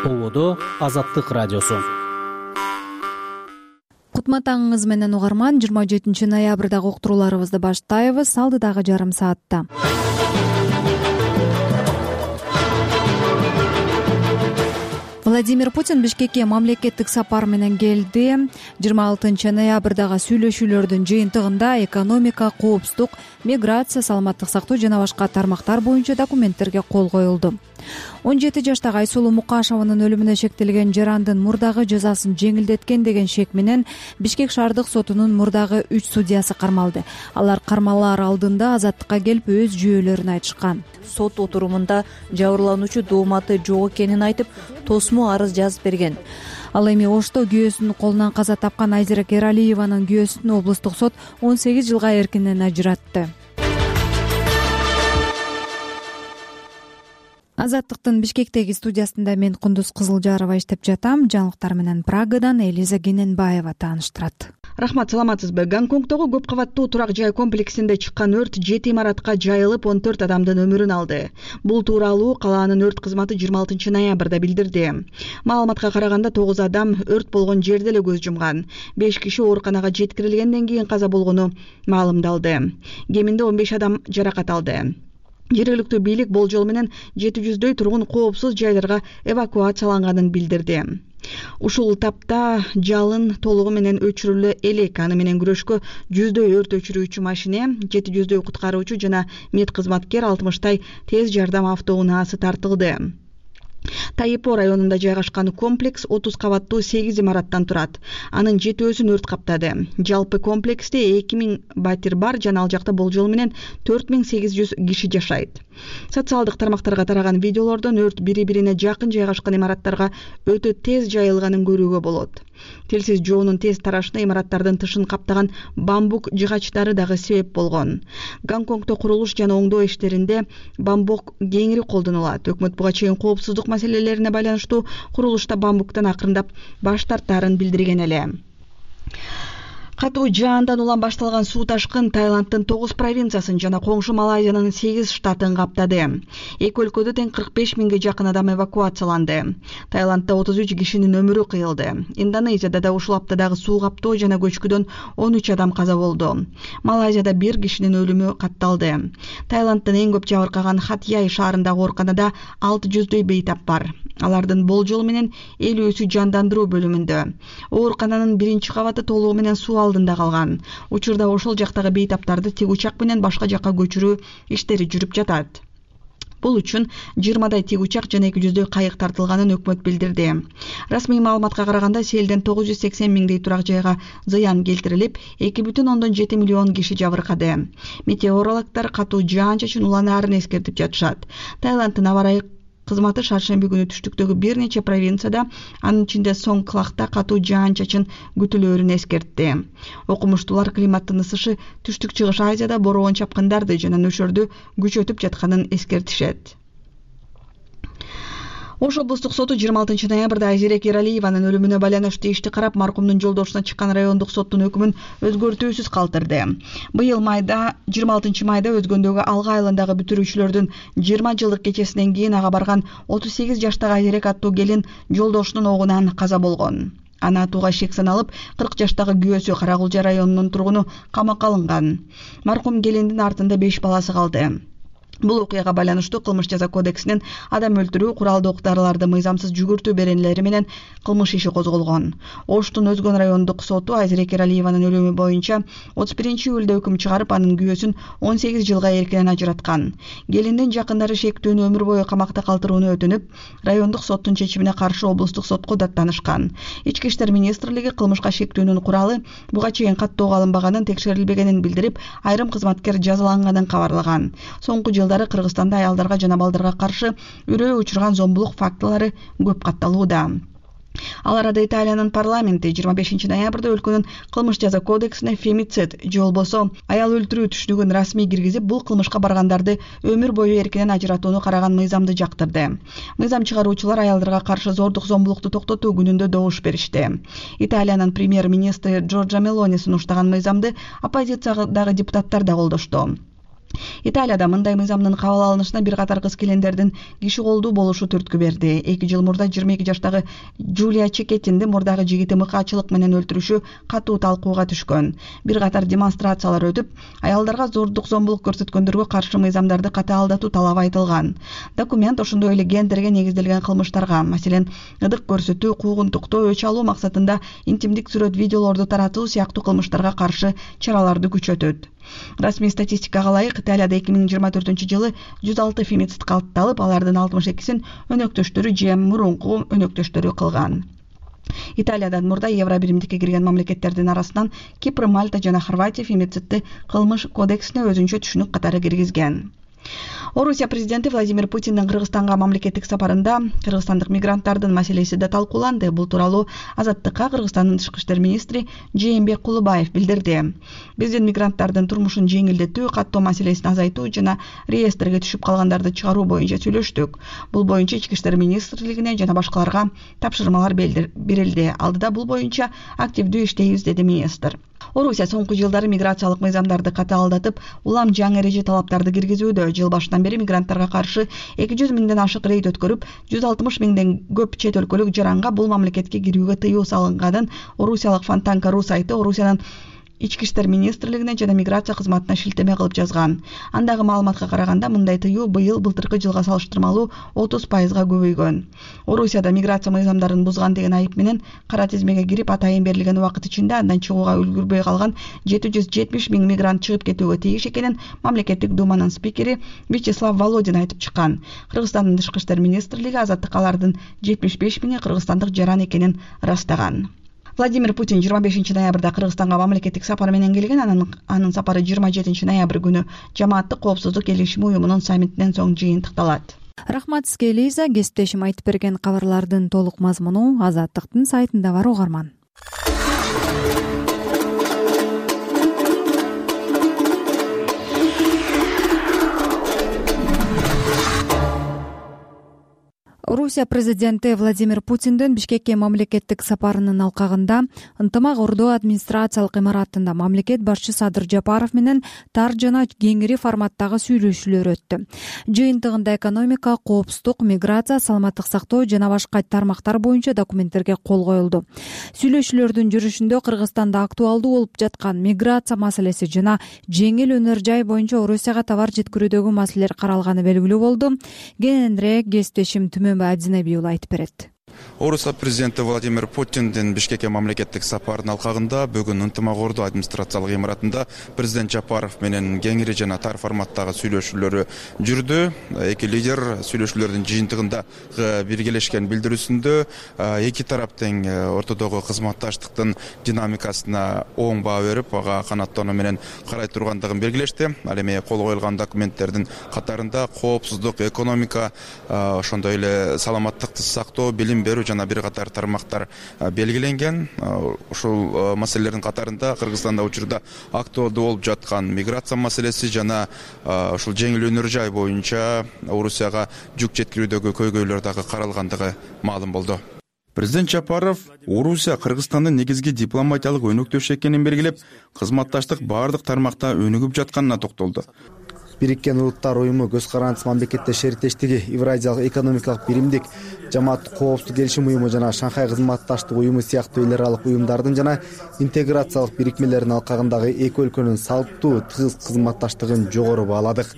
Ободо Азаттык радиосу. Кутматаңыңыз менен угарман, 27 ноябрдагы уктурууларыбызды баштайбыз. Алдыдагы жарым саатта Владимир Путин Бишкекке мамлекеттик сапар менен келди. 26 ноябрдагы сүйлөшүүлөрдүн жыйынтыгында экономика, коопсуздук, миграция, саламаттык сактоо жана башка тармактар боюнча документтерге кол коюлду. 17 жаштагы Айсулуу Мукашеванын өлүмүнө шектелген жарандын мурдагы жазасын жеңилдеткен деген шек менен Бишкек шаардык сотунун мурдагы 3 судьясы кармалды. Алар кармалаар алдында азаттыкка келип өз жүйөлөрүн айтышкан. Сот отурумунда жабырлануучу дооматы жок экенин айтып, тосмо арыз жазып берген. Ал эми Ошто күйөөсүнүн колунан каза тапкан Айзерек Эралиеванын күйөөсүн облустук сот 18 жылга эркинен ажыратты. Азаттыктын Бишкектеги студиясында мен Кундуз Кызылжарова иштеп жатам. Жаңылыктар менен Прагадан Элиза Гененбаева тааныштырат. Рахмат, саламатсызбы? Гонконгдогу көп кабаттуу турак жай комплексинде чыккан өрт 7 имаратка жайылып 14 адамдын өмүрүн алды. Бул тууралуу калаанын өрт кызматы 26 ноябрда билдирди. Маалыматка караганда 9 адам өрт болгон жерде эле көз жумган. 5 киши ооруканага жеткирилгенден кийин каза болгону маалымдалды. Кеминде 15 адам жаракат алды. Жергиликтүү бийлик болжол менен 700дөй тургун коопсуз жайларга эвакуацияланганын билдирди. Ушул тапта жалын толугу менен өчүрүлө элек. Аны менен күрөшкө 100дөй өрт өчүрүүчү машине, 700дөй куткаруучу жана мед кызматкер, 60той тез жардам автоунаасы тартылды. Тайипо районунда жайгашкан комплекс 30 кабаттуу 8 имараттан турат. Анын 7-өсүн өрт каптады. Жалпы комплексте 2000 батир бар жана ал жакта болжол менен 4800 киши жашайт. Социалдык тармактарга тараган видеолордон өрт бири-бирине жакын жайгашкан имараттарга өтө тез жайылганын көрүүгө болот. Телсиз жоонун тез тарашына имараттардын тышын каптаган бамбук жыгачтары дагы себеп болгон. Гонконгдо курулуш жана оңдоо иштеринде бамбук кеңири колдонулат. Өкмөт буга чейин коопсуздук маселелерине байланыштуу курулушта бамбуктан акырындап баш тартаарын билдирген эле. Катуу жаандан улам башталган суу ташкын Таиланддын 9 провинциясын жана коңшу Малайзиянын 8 штатын каптады. Эки өлкөдө тең 45 миңге жакын адам эвакуацияланды. Таиландда 33 кишинин өмүрү кыйылды. Индонезияда да ушул аптадагы суу каптоо жана көчкүдөн 13 адам каза болду. Малайзияда 1 кишинин өлүмү катталды. Таиланддын эң көп жабыркаган Хатьяй шаарындагы ооруканада 600дөй бейтап бар. Алардын болжол менен 50-өсү жандандыруу бөлүмүндө. Оорукананын 1-кабаты толугу менен суу алдында калган. Учурда ошол жактагы бейтаптарды тик учак менен башка жакка көчүрүү иштери жүрүп жатат. Бул үчүн 20дай тик учак жана 200дөй кайык тартылганын өкмөт билдирди. Расмий маалыматка караганда селден 980 миңдей турак жайга зыян келтирилип, 2,7 миллион киши жабыркады. Метеорологдор катуу жаан-чачын уланаарын эскертип жатышат. Таиланддын аба ырайы кызматы шаршемби күнү түштүктөгү бир нече провинцияда, анын ичинде Сонгклахта катуу жаан-чачын күтүлөөрүн эскертти. Окумуштуулар климаттын ысышы Түштүк-Чыгыш Азияда бороон чапкындарды жана нөшөрдү күчөтүп жатканын эскертишет. Ош облустук соту 26 ноябрда Айзерек Эралиеванын өлүмүнө байланыштуу ишти карап, маркумдун жолдошуна чыккан райондук соттун өкүмүн өзгөртүүсүз калтырды. Быйыл 26 майда өзгөндөгү Алга айылындагы бүтүрүүчүлөрдүн 20 жылдык кечесинен кийин ага барган 38 жаштагы Айзерек аттуу келин жолдошунун огунан каза болгон. Аны атууга шек саналып, 40 жаштагы күйөөсү Каракулжа районунун тургуну камакка алынган. Маркум келиндин артында 5 баласы калды. Бул окуяга байланыштуу кылмыш жаза кодексинин адам өлтүрүү, куралдуу ок-дарыларды мыйзамсыз жүгүртүү беренелери менен кылмыш иши козголгон. Оштун Өзгөн райондук соту Айзерек Эралиеванын өлүмү боюнча 31 июлда өкүм чыгарып, анын күйөөсүн 18 жылга эркинен ажыраткан. Келиндин жакындары шектүүнү өмүр бою камакта калтырууну өтүнүп, райондук соттун чечимине каршы облустук сотко даттанышкан. Ички иштер министрлиги кылмышка шектүүнүн куралы буга чейин каттоого алынбаганын, текшерилбегенин билдирип, айрым кызматкер жазаланганын кабарлаган. Соңку Кыргызстанда аялдарга жана балдарга каршы үрөө учурган зомбулук фактылары көп катталууда. Ал арада Италиянын парламенти 25 ноябрда өлкөнүн кылмыш жаза кодексине фемицид же болбосо аял өлтүрүү түшүнүгүн расмий киргизип, бул кылмышка баргандарды өмүр бою эркинен ажыратууну караган мыйзамды жактырды. Мыйзам чыгаруучулар аялдарга каршы зордук зомбулукту токтотуу күнүндө добуш беришти. Италиянын премьер-министри Джорджа Мелони сунуштаган мыйзамды оппозициядагы депутаттар да колдошту. Италияда мындай мыйзамдын кабыл алынышына бир катар кыз-келиндердин киши колдуу болушу түрткү берди. 2 жыл мурда 22 жаштагы Джулия Чекеттинди мурдагы жигити мыкаачылык менен өлтүрүшү катуу талкууга түшкөн. Бир катар демонстрациялар өтүп, аялдарга зордук зомбулук көрсөткөндөргө каршы мыйзамдарды катаалдатуу талабы айтылган. Документ ошондой эле гендерге негизделген кылмыштарга, маселен, ыдык көрсөтүү, куугунтуктоо, өч алуу максатында интимдик сүрөт видеолорду таратуу сыяктуу кылмыштарга каршы чараларды күчөтөт. Расмий статистикага ылайык, Италияда 2024-жылы 106 фемицид катталып, алардын 62-син өнөктөштөрү же мурунку өнөктөштөрү кылган. Италиядан мурда Евробиримдикке кирген мамлекеттердин арасынан Кипр, Мальта жана Хорватия фемицидти кылмыш кодексине өзүнчө түшүнүк катары киргизген. Орусия президенти Владимир Путиндин Кыргызстанга мамлекеттик сапарында кыргызстандык мигранттардын маселеси да талкууланды. Бул тууралуу Азаттыкка Кыргызстандын тышкы иштер министри Жээнбек Кулубаев билдирди. Биздин мигранттардын турмушун жеңилдетүү, каттоо маселесин азайтуу жана реестрге түшүп калгандарды чыгаруу боюнча сүйлөштүк. Бул боюнча Ички иштер министрлигине жана башкаларга тапшырмалар берилди. Алдыда бул боюнча активдүү иштейбиз, деди министр. Орусия соңку жылдары миграциялык мыйзамдарды катаалдатып, улам жаңы эреже талаптарды киргизүүдө. Жыл башынан бери мигранттарга каршы 200 миңден ашык рейд өткөрүп, 160 миңден көп чет өлкөлүк жаранга бул мамлекетке кирүүгө тыюу салынганын орусиялык Фонтанка.ру сайты Орусиянын Ички иштер министрлигине жана миграция кызматына шилтеме кылып жазган. Андагы маалыматка караганда, мындай тыюу былтыркы жылга салыштырмалуу 30%га көбөйгөн. Орусияда миграция мыйзамдарын бузган деген айып менен кара тизмеге кирип, атайын берилген убакыт ичинде андан чыгууга үлгүрбөй калган 770 миң мигрант чыгып кетүүгө тийиш экенин мамлекеттик думанын спикери Вячеслав Володин айтып чыккан. Кыргызстандын тышкы иштер министрлиги Азаттыкка алардын 75 миңи кыргызстандык жаран экенин ырастаган. Владимир Путин 25 ноябрда Кыргызстанга мамлекеттик сапар менен келген. Анын сапары 27 ноябрь күнү Жамааттык коопсуздук келишими уюмунун саммитинен соң жыйынтыкталат. Рахмат сизге, Элиза. Кесиптешим айтып берген кабарлардын толук мазмуну Азаттыктын сайтында бар, угарман. Орусия президенти Владимир Путиндин Бишкекке мамлекеттик сапарынын алкагында ынтымак ордоо администрациялык имаратында мамлекет башчы Садыр Жапаров менен тар жана кеңири форматтагы сүйлөшүүлөр өттү. Жыйынтыгында экономика, коопсуздук, миграция, саламаттык сактоо жана башка тармактар боюнча документтерге кол коюлду. Сүйлөшүүлөрдүн жүрүшүндө Кыргызстанда актуалдуу болуп жаткан миграция маселеси жана жеңил өнөр жай боюнча Орусияга товар жеткирүүдөгү маселелер каралганы белгилүү болду. Кененирээк кесиптешим Адзинеби айтып берет. Орусия президенти Владимир Путиндин Бишкекке мамлекеттик сапарынын алкагында бүгүн ынтымак ордоо администрациялык имаратында президент Жапаров менен кеңири жана тар форматтагы сүйлөшүүлөрү жүрдү. Эки лидер сүйлөшүүлөрдүн жыйынтыгында биргелешкен билдирүүсүндө эки тарап тең ортодогу кызматташтыктын динамикасына оң баа берип, ага канаттануу менен карай тургандыгын белгилешти. Ал эми кол коюлган документтердин катарында коопсуздук, экономика, ошондой эле саламаттыкты сактоо, билим берүү жана бир катар тармактар белгиленген. Ушул маселелердин катарында Кыргызстанда учурда актуалдуу болуп жаткан миграция маселеси жана ушул жеңил өнөр жай боюнча Орусияга жүк жеткирүүдөгү көйгөйлөр дагы каралгандыгы маалым болду. Президент Жапаров Орусия Кыргызстандын негизги дипломатиялык өнөктөшү экенин белгилеп, кызматташтык баардык тармакта өнүгүп жатканына токтолду. Бириккен Улуттар уюму, көз карандысыз мамлекеттер шериктештиги, Евразиялык экономикалык биримдик, Жамааттык коопсуздук келишим уюму жана Шанхай кызматташтык уюму сыяктуу эл аралык уюмдардын жана интеграциялык бирикмелердин алкагындагы эки өлкөнүн салттуу тыгыз кызматташтыгын жогору бааладык.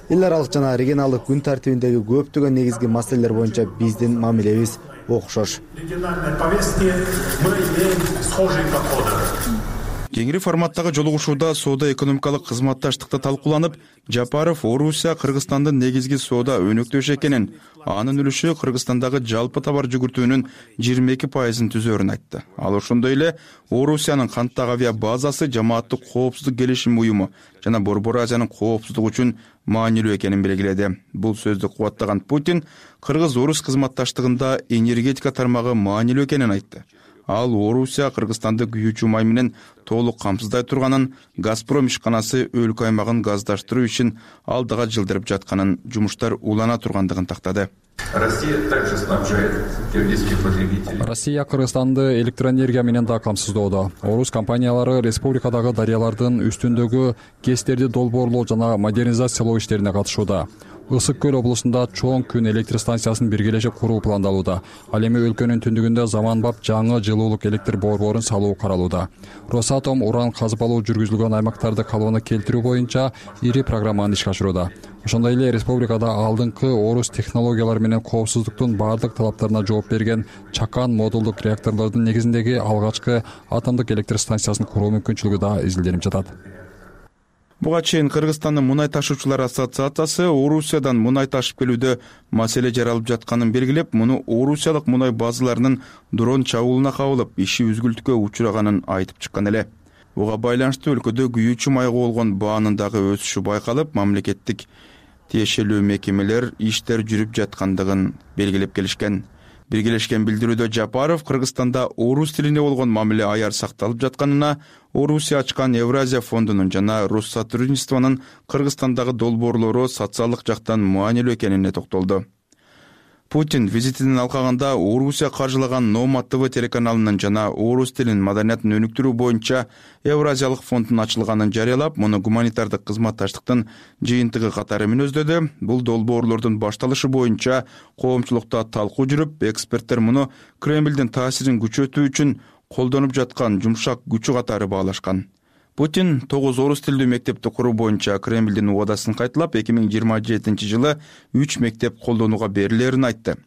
Эл аралык жана регионалдык күн тартибиндеги көптөгөн негизги маселелер боюнча биздин мамилебиз окшош. Кеңири форматтагы жолугушууда соода экономикалык кызматташтыкта талкууланып, Жапаров Орусия Кыргызстандын негизги соода өнөктөшү экенин, анын үлүшү Кыргызстандагы жалпы товар жүгүртүүнүн 22%-ын түзөөрүн айтты. Ал ошондой эле Орусиянын канттагы авиа базасы Жамааттык коопсуздук келишим уюму жана Борбор Азиянын коопсуздугу үчүн маанилүү экенин белгиледи. Бул сөздү кубаттаган Путин Кыргыз-Орус кызматташтыгында энергетика тармагы маанилүү экенин айтты. ал Орусия Кыргызстанды күйүүчү май менен толук камсыздай турганын, Газпром ишканасы өлкө аймагын газдаштыруу ишин алдыга жылдырып жатканын, жумуштар улана тургандыгын тактады. Россия Кыргызстанды электроэнергия менен да камсыздоодо. Орус компаниялары республикадагы дарыялардын үстүндөгү КЭСтерди долбоорлоо жана модернизациялоо иштерине катышууда. Ысык көл облусунда чоң күн электр станциясын биргелешип куруу пландалууда. Ал эми өлкөнүн түндүгүндө заманбап жаңы жылуулук электр борборун салуу каралууда. Росатом уран казып алуу жүргүзүлгөн аймактарды калыбына келтирүү боюнча ири программаны ишке ашырууда. Ошондой эле республикада алдыңкы орус технологиялары менен коопсуздуктун баардык талаптарына жооп берген чакан модулдук реакторлордун негизиндеги алгачкы атомдук электр станциясын куруу мүмкүнчүлүгү да изилденип жатат. Буга чейин Кыргызстандын мунай ташуучулар ассоциациясы Орусиядан мунай ташып келүүдө маселе жаралып жатканын белгилеп, муну орусиялык мунай базаларынын дрон чабуулуна кабылып, иши үзгүлтүккө учураганын айтып чыккан эле. Буга байланыштуу өлкөдө күйүүчү майга болгон баанын дагы өсүшү байкалып, мамлекеттик тиешелүү мекемелер иштер жүрүп жаткандыгын белгилеп келишкен. Биргелешкен билдирүүдө Жапаров Кыргызстанда орус тилине болгон мамиле аяр сакталып жатканына, Орусия ачкан Евразия фондунун жана Россотрудничествонун Кыргызстандагы долбоорлору социалдык жактан маанилүү экенине токтолду. Путин визитинин алкагында Орусия каржылаган Нома ТВ телеканалынын жана орус тилин маданиятын өнүктүрүү боюнча Евразиялык фонддун ачылганын жарыялап, муну гуманитардык кызматташтыктын жыйынтыгы катары мүнөздөдү. Бул долбоорлордун башталышы боюнча коомчулукта талкуу жүрүп, эксперттер муну Кремлдин таасирин күчөтүү үчүн колдонуп жаткан жумшак күчү катары баалашкан. Путин 9 орус тилдүү мектепти куруу боюнча Кремлдин убадасын кайталап, 2027 жылы 3 мектеп колдонууга берилерин айтты.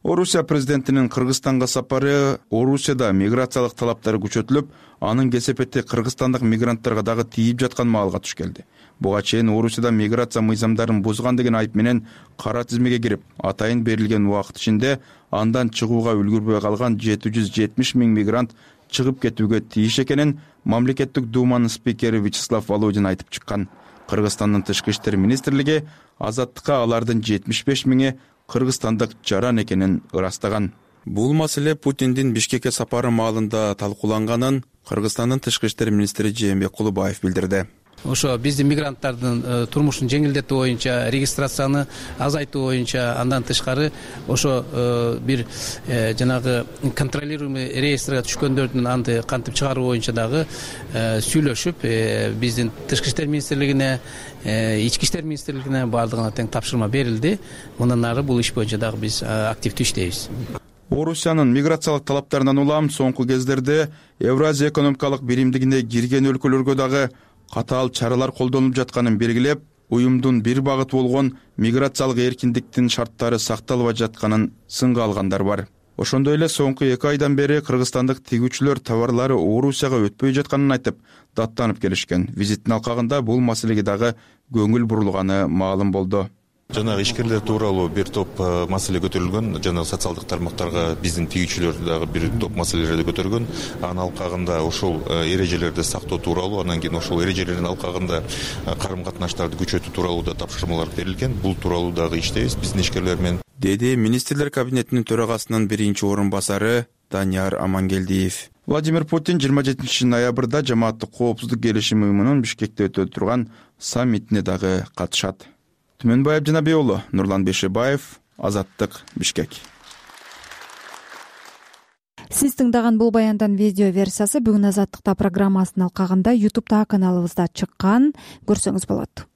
Орусия президентинин Кыргызстанга сапары Орусияда миграциялык талаптары күчөтүлүп, анын кесепети кыргызстандык мигранттарга дагы тийип жаткан маалга туш келди. Буга чейин Орусияда миграция мыйзамдарын бузган деген айып менен кара тизмеге кирип, атайын берилген убакыт ичинде андан чыгууга үлгүрбөй калган 770 миң мигрант чыгып кетүүгө тийиш экенин мамлекеттик думанын спикери Вячеслав Володин айтып чыккан. Кыргызстандын тышкы иштер министрлиги азаттыкка алардын 75 миңи кыргызстандык жаран экенин ырастаган. Бул маселе Путиндин Бишкекке сапары маалында талкууланганын Кыргызстандын тышкы иштер министри Жээнбек Кулубаев билдирди. Ошо биздин мигранттардын турмушун жеңилдетүү боюнча, регистрацияны азайтуу боюнча, андан тышкары ошо бир жанагы контролируемый реестрге түшкөндөрдүн анды кантип чыгаруу боюнча дагы сүйлөшүп, биздин тышкы иштер министрлигине, ички иштер министрлигине баардыгына тең тапшырма берилди. Мындан ары бул иш боюнча дагы биз активдүү иштейбиз. Орусиянын миграциялык талаптарынан улам соңку кездерде Евразия экономикалык биримдигине кирген өлкөлөргө дагы катаал чаралар колдонулуп жатканын белгилеп, уюмдун бир багыты болгон миграциялык эркиндиктин шарттары сакталбай жатканын сынга алгандар бар. Ошондой эле соңку 2 айдан бери кыргызстандык тигүүчүлөр товарлары Орусияга өтпөй жатканын айтып, даттанып келишкен. Визиттин алкагында бул маселеге дагы көңүл бурулганы маалым болду. Жанагы ишкерлер тууралуу бир топ маселе көтөрүлгөн, жана социалдык тармактарга биздин тигүүчүлөр дагы бир топ маселелерди көтөргөн. Анын алкагында ошол эрежелерди сактоо тууралуу, анан кийин ошол эрежелердин алкагында карым катнаштарды күчөтүү тууралуу да тапшырмалар берилген. Бул тууралуу дагы иштейбиз биздин ишкерлер менен, деди министрлер кабинетинин төрагасынын биринчи орун басары Данияр Амангелдиев. Владимир Путин 27 ноябрда жамааттык коопсуздук келишим уюмунун Бишкекте өтө турган саммитине дагы катышат. Түмөнбай Абдинабий уулу, Нурлан Бешебаев, Азаттык, Бишкек. Сиз тыңдаган бул баяндын видео версиясы бүгүн Азаттыкта программасынын алкагында YouTube'да каналыбызда чыккан. Көрсөңүз болот.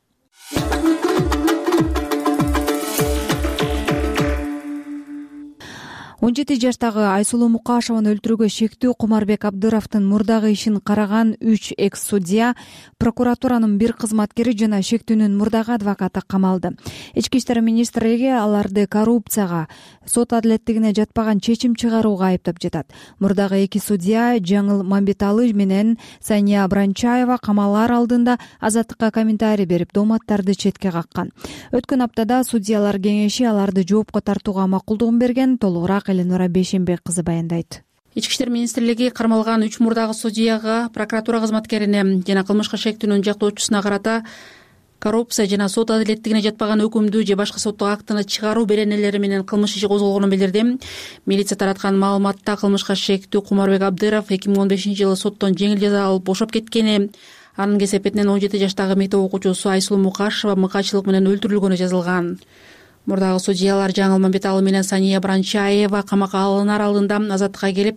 17 жаштагы Айсулуу Мукашеваны өлтүрүүгө шектүү Кумарбек Абдыровдун мурдагы ишин караган 3 экс-судья, прокуратуранын бир кызматкери жана шектүүнүн мурдагы адвокаты камалды. Ички иштер министрлиги аларды коррупцияга, сот адилеттигине жатпаган чечим чыгарууга айыптап жатат. Мурдагы 2 судья Жаңыл Мамбеталы менен Сания Бранчаева камалар алдында Азаттыкка комментарий берип, дооматтарды четке каккан. Өткөн аптада судьялар кеңеши аларды жоопко тартууга макулдугун берген. Толугураак Эленора Бейшенбек кызы баяндайт. Ички иштер министрлиги кармалган 3 мурдагы судьяга, прокуратура кызматкерине жана кылмышка шектүүнүн жактоочусуна карата коррупция жана сот адилеттигине жатпаган өкүмдү же башка соттук актыны чыгаруу беренелери менен кылмыш иши козголгонун билдирди. Милиция тараткан маалыматта кылмышка шектүү Кумарбек Абдыров 2015-жылы соттон жеңил жаза алып бошоп кеткени, анын кесепетинен 17 жаштагы мектеп окуучусу Айсулуу Мукашева мыкаачылык менен өлтүрүлгөнү жазылган. Мурдагы судьялар Жаңыл Мамбеталы менен Сания Бранчаева камакка алынар алдында азаттыкка келип,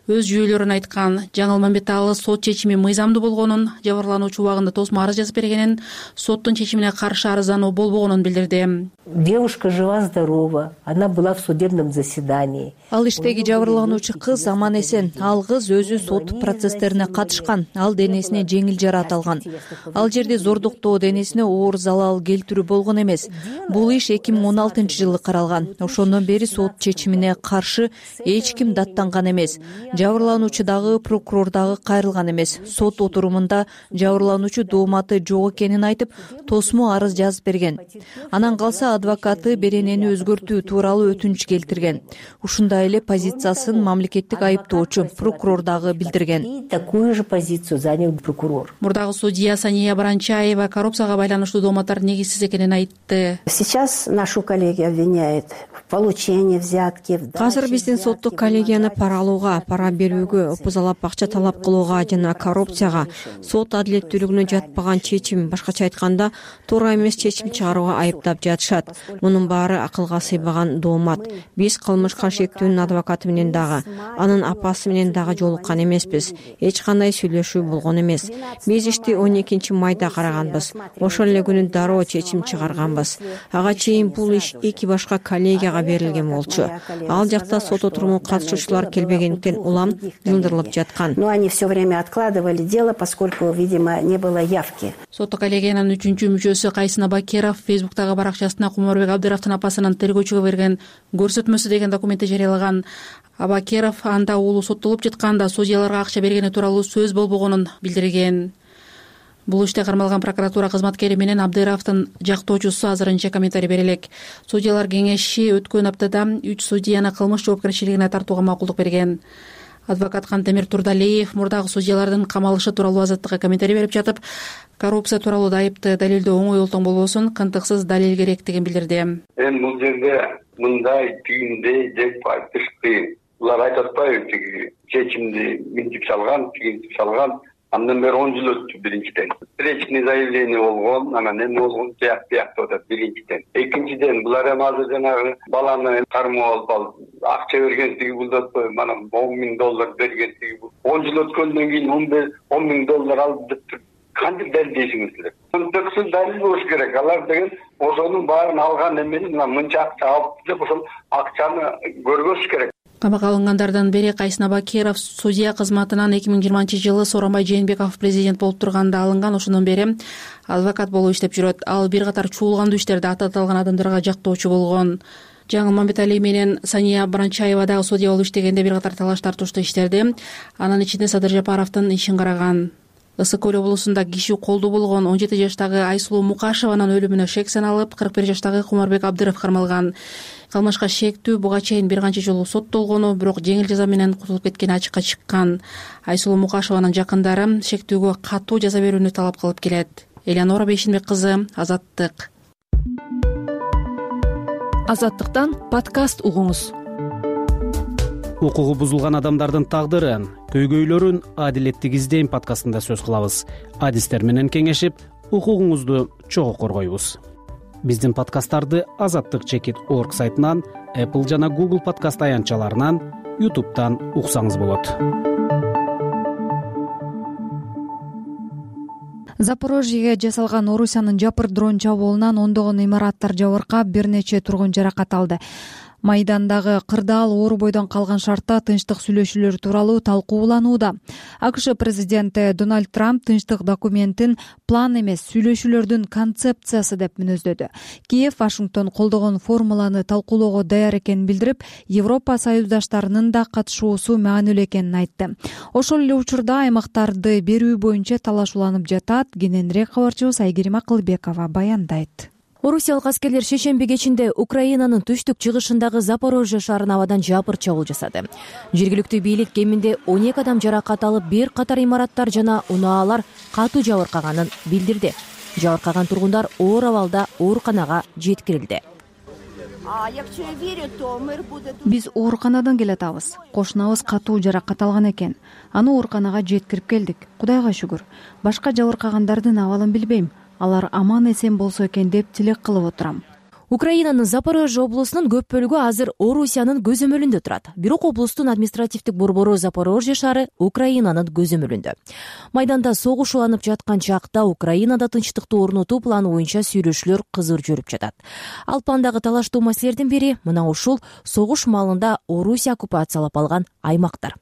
өз жүйөлөрүн айткан. Жаңыл Мамбеталы сот чечими мыйзамдуу болгонун, жабырлануучу убагында тосмо арыз жазып бергенин, соттун чечимине каршы арыздануу болбогонун билдирди. Девушка жива-здорова, она была в судебном заседании. Ал иштеги жабырлануучу кыз аман эсен. Ал кыз өзү сот процесстерине катышкан. Ал денесине жеңил жараат алган. Ал жерде зордуктоо, денесине оор залал келтирүү болгон эмес. Бул иш 2016-жылы каралган. Ошондон бери сот чечимине каршы эч ким даттанган эмес. Жабырлануучу дагы, прокурор дагы кайрылган эмес. Сот отурумунда жабырлануучу дооматы жок экенин айтып, тосмо арыз жазып берген. Анан калса адвокаты беренени өзгөртүү тууралуу өтүнүч келтирген. Ушундай эле позициясын мамлекеттик айыптоочу прокурор дагы билдирген. Такую же позицию занял прокурор. Мурдагы судья Сания Бранчаева коррупцияга байланыштуу дооматтар негизсиз экенин айтты. Сейчас нашу коллегию обвиняют в получении взятки. Азыр биздин соттук коллегияны пара алууга, пара берүүгө, опузалап акча талап кылууга жана коррупцияга, сот адилеттүүлүгүнө жатпаган чечим, башкача айтканда, туура эмес чечим чыгарууга айыптап жатышат. Мунун баары акылга сыйбаган доомат. Биз кылмышка шектүүнүн адвокаты менен дагы, анын апасы менен дагы жолуккан эмеспиз. Эч кандай сүйлөшүү болгон эмес. Биз ишти 12-майда караганбыз. Ошол эле күнү дароо чечим чыгарганбыз. Ага чейин бул иш 2 башка коллегияга берилген болчу. Ал жакта сот отурумуна катышуучулар келбегендиктен улам жылдырылып жаткан. Но они все время откладывали дело, поскольку, видимо, не было явки. Соттук коллегиянын 3-мүчөсү Кайсын Абакеров Фейсбуктагы баракчасына Кумарбек Абдыровдун апасынын тергөөчүгө берген көрсөтмөсү деген документти жарыялаган. Абакеров анда уулу соттолуп жатканда судьяларга акча бергени тууралуу сөз болбогонун билдирген. Бул иште кармалган прокуратура кызматкери менен Абдыровдун жактоочусу азырынча комментарий бере элек. Судьялар кеңеши өткөн аптада 3 судьяны кылмыш жоопкерчилигине тартууга макулдук берген. Адвокат Кантемир Турдалиев мурдагы судьялардын камалышы тууралуу азаттыкка комментарий берип жатып, коррупция тууралуу айыпты далилдөө оңой олтоң болбосун, кантыксыз далил керектигин билдирди. Бул жерде мындай түйүндөй деп айтыш кыйын. Булар айтып атпайбы, тиги чечимди минтип салган, тигинтип салган. Андан бери 10 жыл өттү биринчиден. Встречный заявление болгон, анан эми болгон тияктуу атат биринчиден. Экинчиден булар эми азыр жанагы баланы кармап алып, акча бергенсиги булдатпай, мана $10,000 бергенсиги бул. 10 жыл өткөндөн кийин $10,000 алып деп кантип далилдейсиңиздер? Кантыксыз далил болуш керек. Алар деген ошонун баарын алган эмени мына мынча акча алып деп ошол акчаны көргөзүш керек. Камакка алынгандардан бери Кайсын Абакеров судья кызматынан 2020-жылы Сооронбай Жээнбеков президент болуп турганда алынган. Ошондон бери адвокат болуп иштеп жүрөт. Ал бир катар чуулгандуу иштерде атталган адамдарга жактоочу болгон. Жаңыл Мамбетали менен Сания Бранчаева дагы судья болуп иштегенде бир катар талаш тартыштуу иштерде, анын ичинде Садыр Жапаровдун ишин караган. Ысык көл облусунда киши колдуу болгон 17 жаштагы Айсулуу Мукашеванын өлүмүнө шек саналып, 41 жаштагы Кумарбек Абдыров кармалган. Кылмышка шектүү буга чейин бир канча жолу соттолгону, бирок жеңил жаза менен кутулуп кеткени ачыкка чыккан. Айсулуу Мукашеванын жакындары шектүүгө катуу жаза берүүнү талап кылып келет. Элеонора Бейшинбек кызы, Азаттык. Азаттыктан подкаст угуңуз. Укугу бузулган адамдардын тагдырын, көйгөйлөрүн адилеттик издейм подкастында сөз кылабыз. Адистер менен кеңешип, укугуңузду чогуу коргойбуз. Биздин подкасттарды azattik.org сайтынан, Apple жана Google подкаст аянтчаларынан, YouTube'дан уксаңыз болот. Запорожьеге жасалган Орусиянын жапыр дрон чабуулунан ондогон имараттар жабыркап, бир нече тургун жаракат алды. Майдандагы кырдаал оор бойдон калган шартта тынчтык сүйлөшүүлөр тууралуу талкууланууда. АКШ президенти Дональд Трамп тынчтык документин план эмес, сүйлөшүүлөрдүн концепциясы деп мүнөздөдү. Киев Вашингтон колдогон формуланы талкуулоого даяр экенин билдирип, Европа союздаштарынын да катышуусу маанилүү экенин айтты. Ошол эле учурда аймактарды берүү боюнча талаш уланып жатат. Кененирээк кабарчыбыз Айгерим Акылбекова баяндайт. Орусиялык аскерлер шейшемби кечинде Украинанын түштүк чыгышындагы Запорожье шаарына абадан жапыр чабуул жасады. Жергиликтүү бийлик кеминде 12 адам жаракат алып, бир катар имараттар жана унаалар катуу жабыркаганын билдирди. Жабыркаган тургундар оор абалда ооруканага жеткирилди. Биз ооруканадан келатабыз. Кошунабыз катуу жаракат алган экен. Аны ооруканага жеткирип келдик. Кудайга шүгүр. Башка жабыркагандардын абалын билбейм. Алар аман эсен болсо экен деп тилек кылып отурам. Украинанын Запорожье облусунун көп бөлүгү азыр Орусиянын көзөмөлүндө турат. Бирок облустун административдик борбору Запорожье шаары Украинанын көзөмөлүндө. Майданда согуш уланып жаткан чакта Украинада тынчтыкты орнотуу планы боюнча сүйлөшүүлөр кызыр жүрүп жатат. Ал пландагы талаштуу маселелердин бири мына ушул согуш маалында Орусия оккупациялап алган аймактар.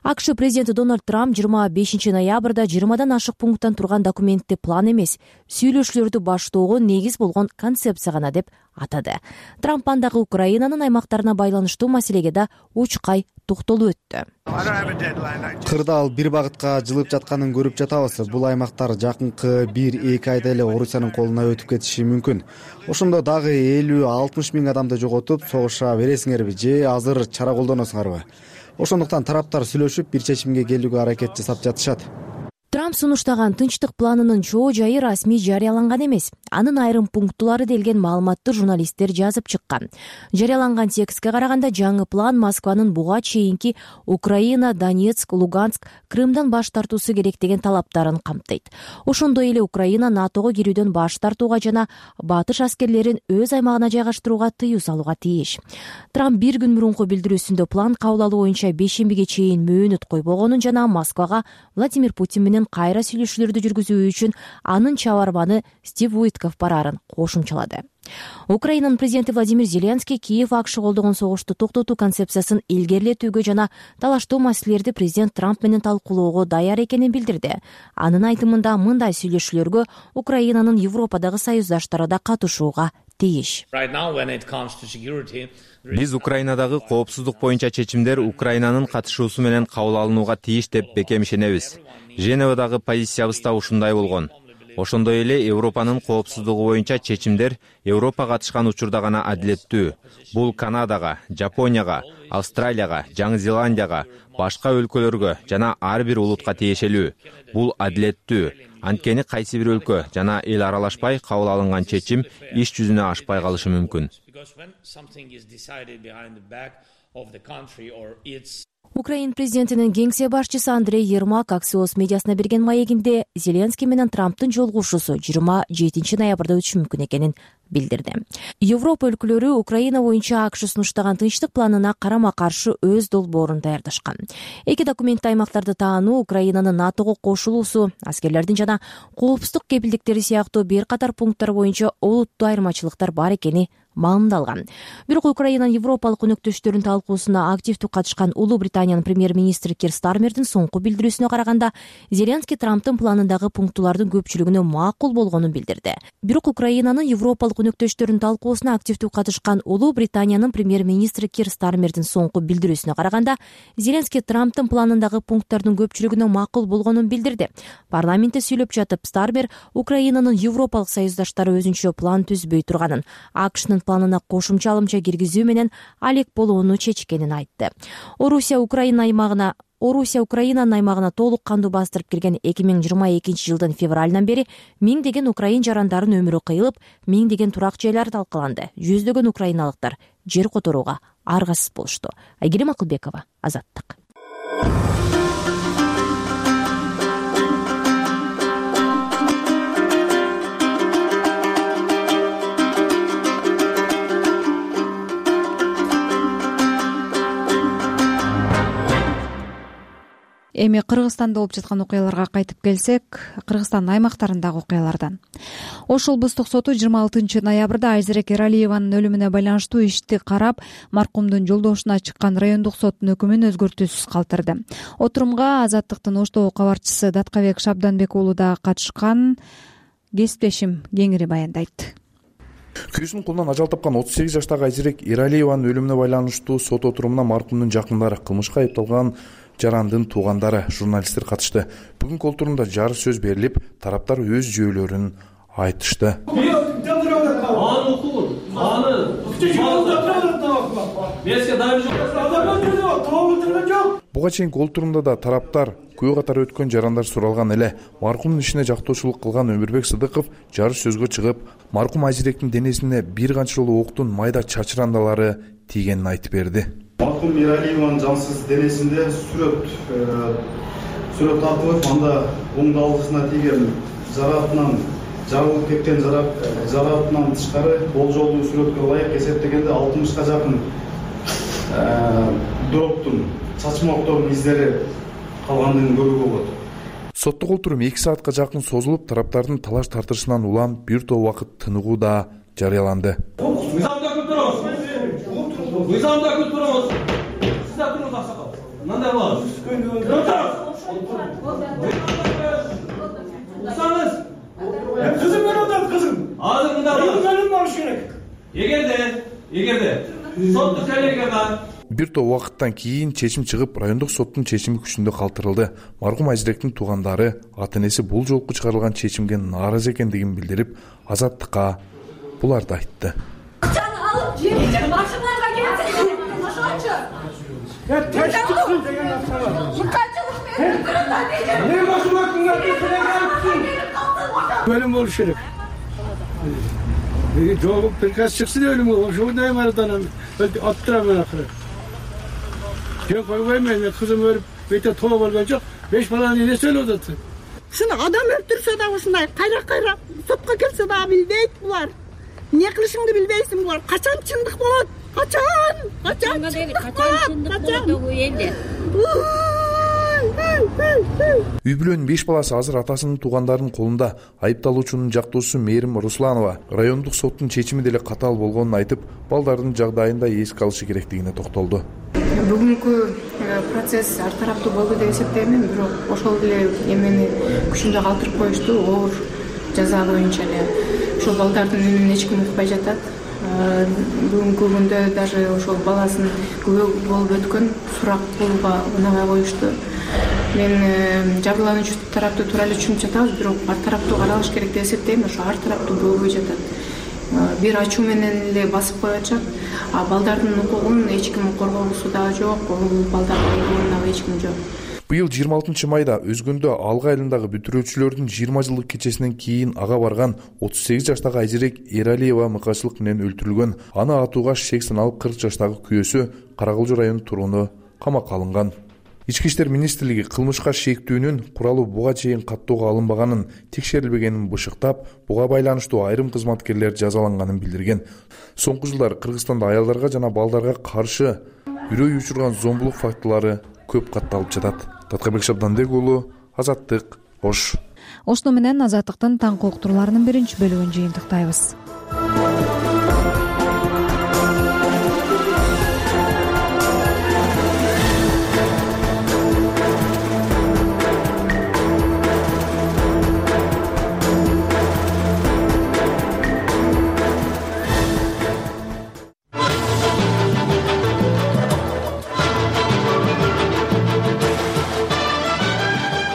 АКШ президенти Дональд Трамп 25 ноябрда 20дан ашык пункттан турган документти план эмес, сүйлөшүүлөрдү баштоого негиз болгон концепция гана деп атады. Трамп андагы Украинанын аймактарына байланыштуу маселеге да учкай токтолуп өттү. Кырдаал бир багытка жылып жатканын көрүп жатабыз. Бул аймактар жакынкы 1-2 айда эле Орусиянын колуна өтүп кетиши мүмкүн. Ошондо дагы 50-60 миң адамды жоготуп согуша бересиңерби же азыр чара колдоносуңарбы? Ошондуктан тараптар сүйлөшүп бир чечимге келүүгө аракет жасап жатышат. Трамп сунуштаган тынчтык планынын чоо жайы расмий жарыяланган эмес. Анын айрым пунктулары делген маалыматты журналисттер жазып чыккан. Жарыяланган текстке караганда жаңы план Москванын буга чейинки Украина, Донецк, Луганск, Крымдан баш тартуусу керек деген талаптарын камтыйт. Ошондой эле Украина НАТОго кирүүдөн баш тартууга жана батыш аскерлерин өз аймагына жайгаштырууга тыюу салууга тийиш. Трамп бир күн мурунку билдирүүсүндө план кабыл алуу боюнча бейшембиге чейин мөөнөт койбогонун жана Москвага Владимир Путин менен кайра сүйлөшүүлөрдү жүргүзүү үчүн анын чабарманы Стив Уитков бараарын кошумчалады. Украинанын президенти Владимир Зеленский Киев АКШ колдогон согушту токтотуу концепциясын илгерилетүүгө жана талаштуу маселелерди президент Трамп менен талкуулоого даяр экенин билдирди. Анын айтымында мындай сүйлөшүүлөргө Украинанын Европадагы союздаштары да катышууга тийиш. Биз Украинадагы коопсуздук боюнча чечимдер Украинанын катышуусу менен кабыл алынууга тийиш деп бекем ишенебиз. Женевадагы позициябыз да ушундай болгон. Ошондой эле Европанын коопсуздугу боюнча чечимдер Европа катышкан учурда гана адилеттүү. Бул Канадага, Жапонияга, Австралияга, Жаңы Зеландияга, башка өлкөлөргө жана ар бир улутка тиешелүү. Бул адилеттүү. Анткени кайсы бир өлкө жана эл аралашпай кабыл алынган чечим иш жүзүнө ашпай калышы мүмкүн. Украин президентинин кеңсе башчысы Андрей Ермак Axios медиасына берген маегинде Зеленский менен Трамптын жолугушуусу 27 ноябрда өтүшү мүмкүн экенин билдирди. Европа өлкөлөрү Украина боюнча АКШ сунуштаган тынчтык планына карама каршы өз долбоорун даярдашкан. Эки документте аймактарды таануу, Украинанын НАТОго кошулуусу, аскерлердин жана коопсуздук кепилдиктери сыяктуу бир катар пункттар боюнча олуттуу айырмачылыктар бар экени маалымдалган. Бирок Украинанын европалык өнөктөштөрүнүн талкуусуна активдүү катышкан Улуу Британиянын премьер-министри Кир Стармердин соңку билдирүүсүнө караганда, Зеленский Трамптын планындагы пунктулардын көпчүлүгүнө макул болгонун билдирди. Бирок Украинанын европалык өнөктөштөрүнүн талкуусуна активдүү катышкан Улуу Британиянын премьер-министри Кир Стармердин соңку билдирүүсүнө караганда, Зеленский Трамптын планындагы пункттардын көпчүлүгүнө макул болгонун билдирди. Парламентте сүйлөп жатып Стармер Украинанын европалык союздаштары өзүнчө план түзбөй турганын, АКШнын планына кошумча алымча киргизүү менен алек болууну чечкенин айтты. Орусия Украинанын аймагына толук кандуу бастырып кирген 2022 жылдын февралынан бери миңдеген украин жарандарын өмүрү кыйылып, миңдеген турак жайлар талкаланды. Жүздөгөн украиналыктар жер которууга аргасыз болушту. Айгерим Акылбекова, Азаттык. Эми Кыргызстанда болуп жаткан окуяларга кайтып келсек, Кыргызстандын аймактарындагы окуялардан. Ош облустук соту 26 ноябрда Айзерек Эралиеванын өлүмүнө байланыштуу ишти карап, маркумдун жолдошуна чыккан райондук соттун өкүмүн өзгөртүүсүз калтырды. Отурумга Азаттыктын Оштогу кабарчысы Даткабек Шабданбек уулу да катышкан. Кесиптешим кеңири баяндайт. Күйүүсүнүн колунан ажал тапкан 38 жаштагы Айзерек Эралиеванын өлүмүнө байланыштуу сот отурумуна маркумдун жакындары, кылмышка айыпталган жарандын туугандары, журналисттер катышты. Бүгүнкү отурумда жар сөз берилип, тараптар өз жөөлөрүн айтышты. буга чейинки олтурумда да тараптар күбө катары өткөн жарандар суралган эле. Маркумдун ишине жактоочулук кылган Өмүрбек Сыдыков жарыш сөзгө чыгып, маркум Айзиректин денесине бир канча жолу октун майда чачырандалары тийгенин айтып берди. Маркум Миралиеванын жансыз денесинде сүрөт тартылып, анда оң далгысына тийген жараатынан жарылып кеткен жараатынан тышкары болжолдуу сүрөткө ылайык эсептегенде 60га жакын дроптун чачмоктордун издери калгандыгын көрүүгө болот. Соттук олтурум 2 саатка жакын созулуп, тараптардын талаш тартышынан улам бир топ убакыт тыныгуу да жарыяланды. Мыйзамда күтүп турабыз. Сиз да туруңуз аксакал. Мындай болот. Кызым менен атат кызым. Азыр мындай болот. Менин болуш керек. Эгерде соттук коллегия бар. Бир топ убакыттан кийин чечим чыгып, райондук соттун чечими күчүндө калтырылды. Маркум Айзиректин туугандары ата-энеси бул жолку чыгарылган чечимге нааразы экендигин билдирип, Азаттыкка буларды айтты. Акчаны алып жерге машиналарга келсеңиз, ошончо. Тешкилик деген акча бар. Мыканчылык менен турганда дейт. Не машиналарга келсеңиз, өлүм болуш керек. Жолуп приказ чыксын өлүм болуш. Ошондой марадан аттырам акыры. Жөн койбойм мен, кызым өлүп, бете тоо болгон жок. 5 баланы энеси өлүп атат. Ушуну адам өлтүрсө да ушундай кайра сотко келсе да билбейт булар. Эмне кылышыңды билбейсиң булар. Качан чындык болот? Качан чындык болот элде. Үй бүлөнүн 5 баласы азыр атасынын туугандарынын колунда. Айыпталуучунун жактоочусу Мээрим Русланова райондук соттун чечими деле катаал болгонун айтып, балдардын жагдайын да эске алышы керектигине токтолду. Бүгүнкү процесс ар тараптуу болду деп эсептейм, бирок ошол эле эмени күчүндө калтырып коюшту, оор жаза боюнча эле. Ошол балдардын үнүн эч ким укпай жатат. Бүгүнкү күндө даже ошол баласын күбө болуп өткөн сурак кылууга унабай коюшту. Мен жабырлануучу тарапты туура эле түшүнүп жатабыз, бирок ар тараптуу каралыш керек деп эсептейм. Ошо ар тараптуу болбой жатат. Бир ачуу менен эле басып коюшат, а балдардын укугун эч ким коргогусу да жок, балдардын укугуна эч ким жок. Быйыл 26 майда Өзгөндө Алга айылындагы бүтүрүүчүлөрдүн 20 жылдык кечесинен кийин ага барган 38 жаштагы Айзирек Эралиева мыкаачылык менен өлтүрүлгөн. Аны атууга шек саналып 40 жаштагы күйөөсү Каракылжы районунун тургуну камакка алынган. Ички иштер министрлиги кылмышка шектүүнүн куралы буга чейин каттоого алынбаганын, текшерилбегенин бышыктап, буга байланыштуу айрым кызматкерлер жазаланганын билдирген. Соңку жылдары Кыргызстанда аялдарга жана балдарга каршы үрөй учурган зомбулук фактылары көп катталып жатат. Таткабек Шабдандек уулу, Азаттык, Ош. Ошону менен Азаттыктын таңкы уктурууларынын биринчи бөлүгүн жыйынтыктайбыз.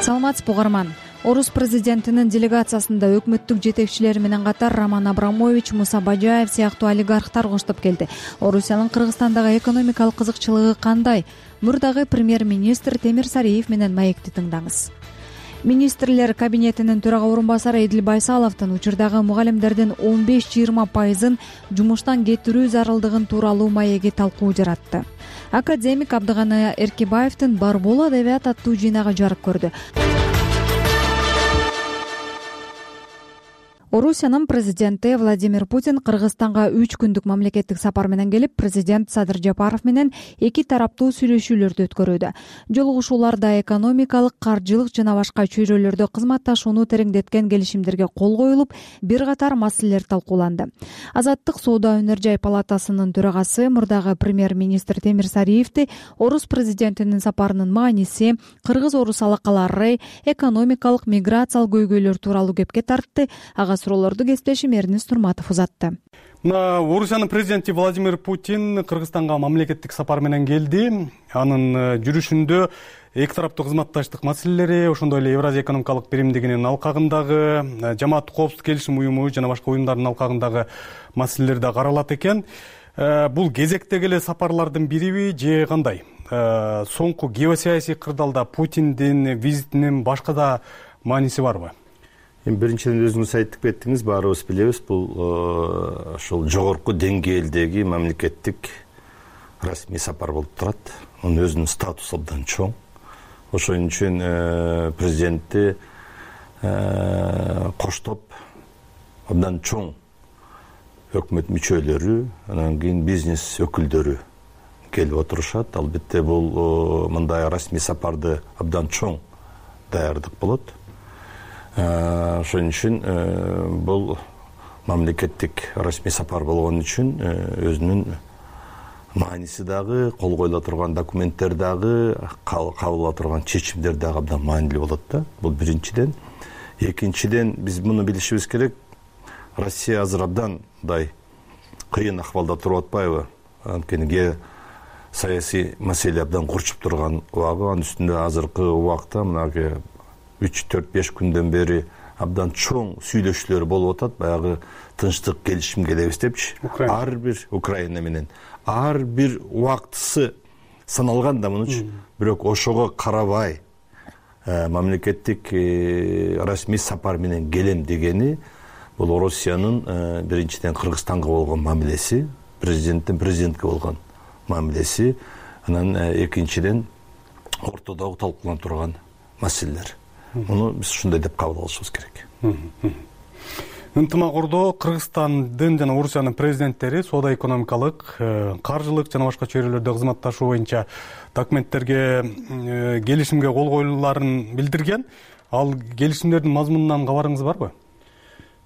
Саламатсызбы угарман. Орус президентинин делегациясында өкмөттүк жетекчилери менен катар Роман Абрамович, Муса Бажаев сыяктуу олигархтар коштоп келди. Орусиянын Кыргызстандагы экономикалык кызыкчылыгы кандай? Мурдагы премьер-министр Темир Сариев менен маекти тыңдаңыз. Министрлер кабинетинин төрага орун басары Эдил Байсаловдун учурдагы мугалимдердин 15-20% жумуштан кетирүү зарылдыгын тууралуу маеги талкуу жаратты. Академик Абдыганы Эркебаевдин Бар боло адабият аттуу жыйнагы жарык көрдү. Орусиянын президенти Владимир Путин Кыргызстанга 3 күндүк мамлекеттик сапар менен келип, президент Садыр Жапаров менен 2 тараптуу сүйлөшүүлөрдү өткөрүүдө. Жолугушууларда экономикалык, каржылык жана башка чөйрөлөрдө кызматташууну тереңдеткен келишимдерге кол коюлуп, бир катар маселелер талкууланды. Азаттык соода өнөр жай палатасынын төрагасы мурдагы премьер-министр Темир Сариевди Орус президентинин сапарынын мааниси, кыргыз-орус алакалары, экономикалык, миграциялык көйгөйлөр тууралуу кепке тартты. Ага суроолорду кесиптешим Эрнис Турматов узатты. Орусиянын президенти Владимир Путин Кыргызстанга мамлекеттик сапар менен келди. Анын жүрүшүндө эки тараптуу кызматташтык маселелери, ошондой эле Евразия экономикалык биримдигинин алкагындагы, жамааттык коопсуздук келишим уюму жана башка уюмдардын алкагындагы маселелер да каралат экен. бул кезектеги эле сапарлардын бириби же кандай? Соңку геосаясий кырдаалда Путиндин визитинин башка да мааниси барбы? Эми биринчиден өзүңүз айтып кеттиңиз, баарыбыз билебиз, бул ошол жогорку деңгээлдеги мамлекеттик расмий сапар болуп турат. Анын өзүнүн статусу абдан чоң. Ошон үчүн президентти коштоп абдан чоң өкмөт мүчөлөрү, анан кийин бизнес өкүлдөрү келип отурушат. Албетте бул мындай расмий сапарды абдан чоң даярдык болот. Ошон үчүн бул мамлекеттик расмий сапар болгон үчүн өзүнүн мааниси дагы, кол коюла турган документтер дагы, кабыл ала турган чечимдер дагы абдан маанилүү болот да. Бул биринчиден. Экинчиден, биз муну билишибиз керек. Россия азыр абдан мындай кыйын акыбалда туруп атпайбы? Анткени саясий маселе абдан курчуп турган убагы, анын үстүндө азыркы убакта мына 3-4-5 күндөн бери абдан чоң сүйлөшүүлөр болуп атат. Баягы тынчтык келишимге дебиз депчи. Ар бир Украина менен ар бир убактысы саналган да мунучу. Бирок ошого карабай мамлекеттик расмий сапар менен келем дегени бул Россиянын биринчиден Кыргызстанга болгон мамилеси, президентке болгон мамилеси, анан экинчиден ортодогу талкууланып турган маселелер. Муну биз ушундай деп кабыл алышыбыз керек. Ынтымак-ордо Кыргызстандын жана Орусиянын президенттери соода-экономикалык, каржылык жана башка чөйрөлөрдө кызматташуу боюнча документтерге келишимге кол коюлууларын билдирген. Ал келишимдердин мазмунунан кабарыңыз барбы?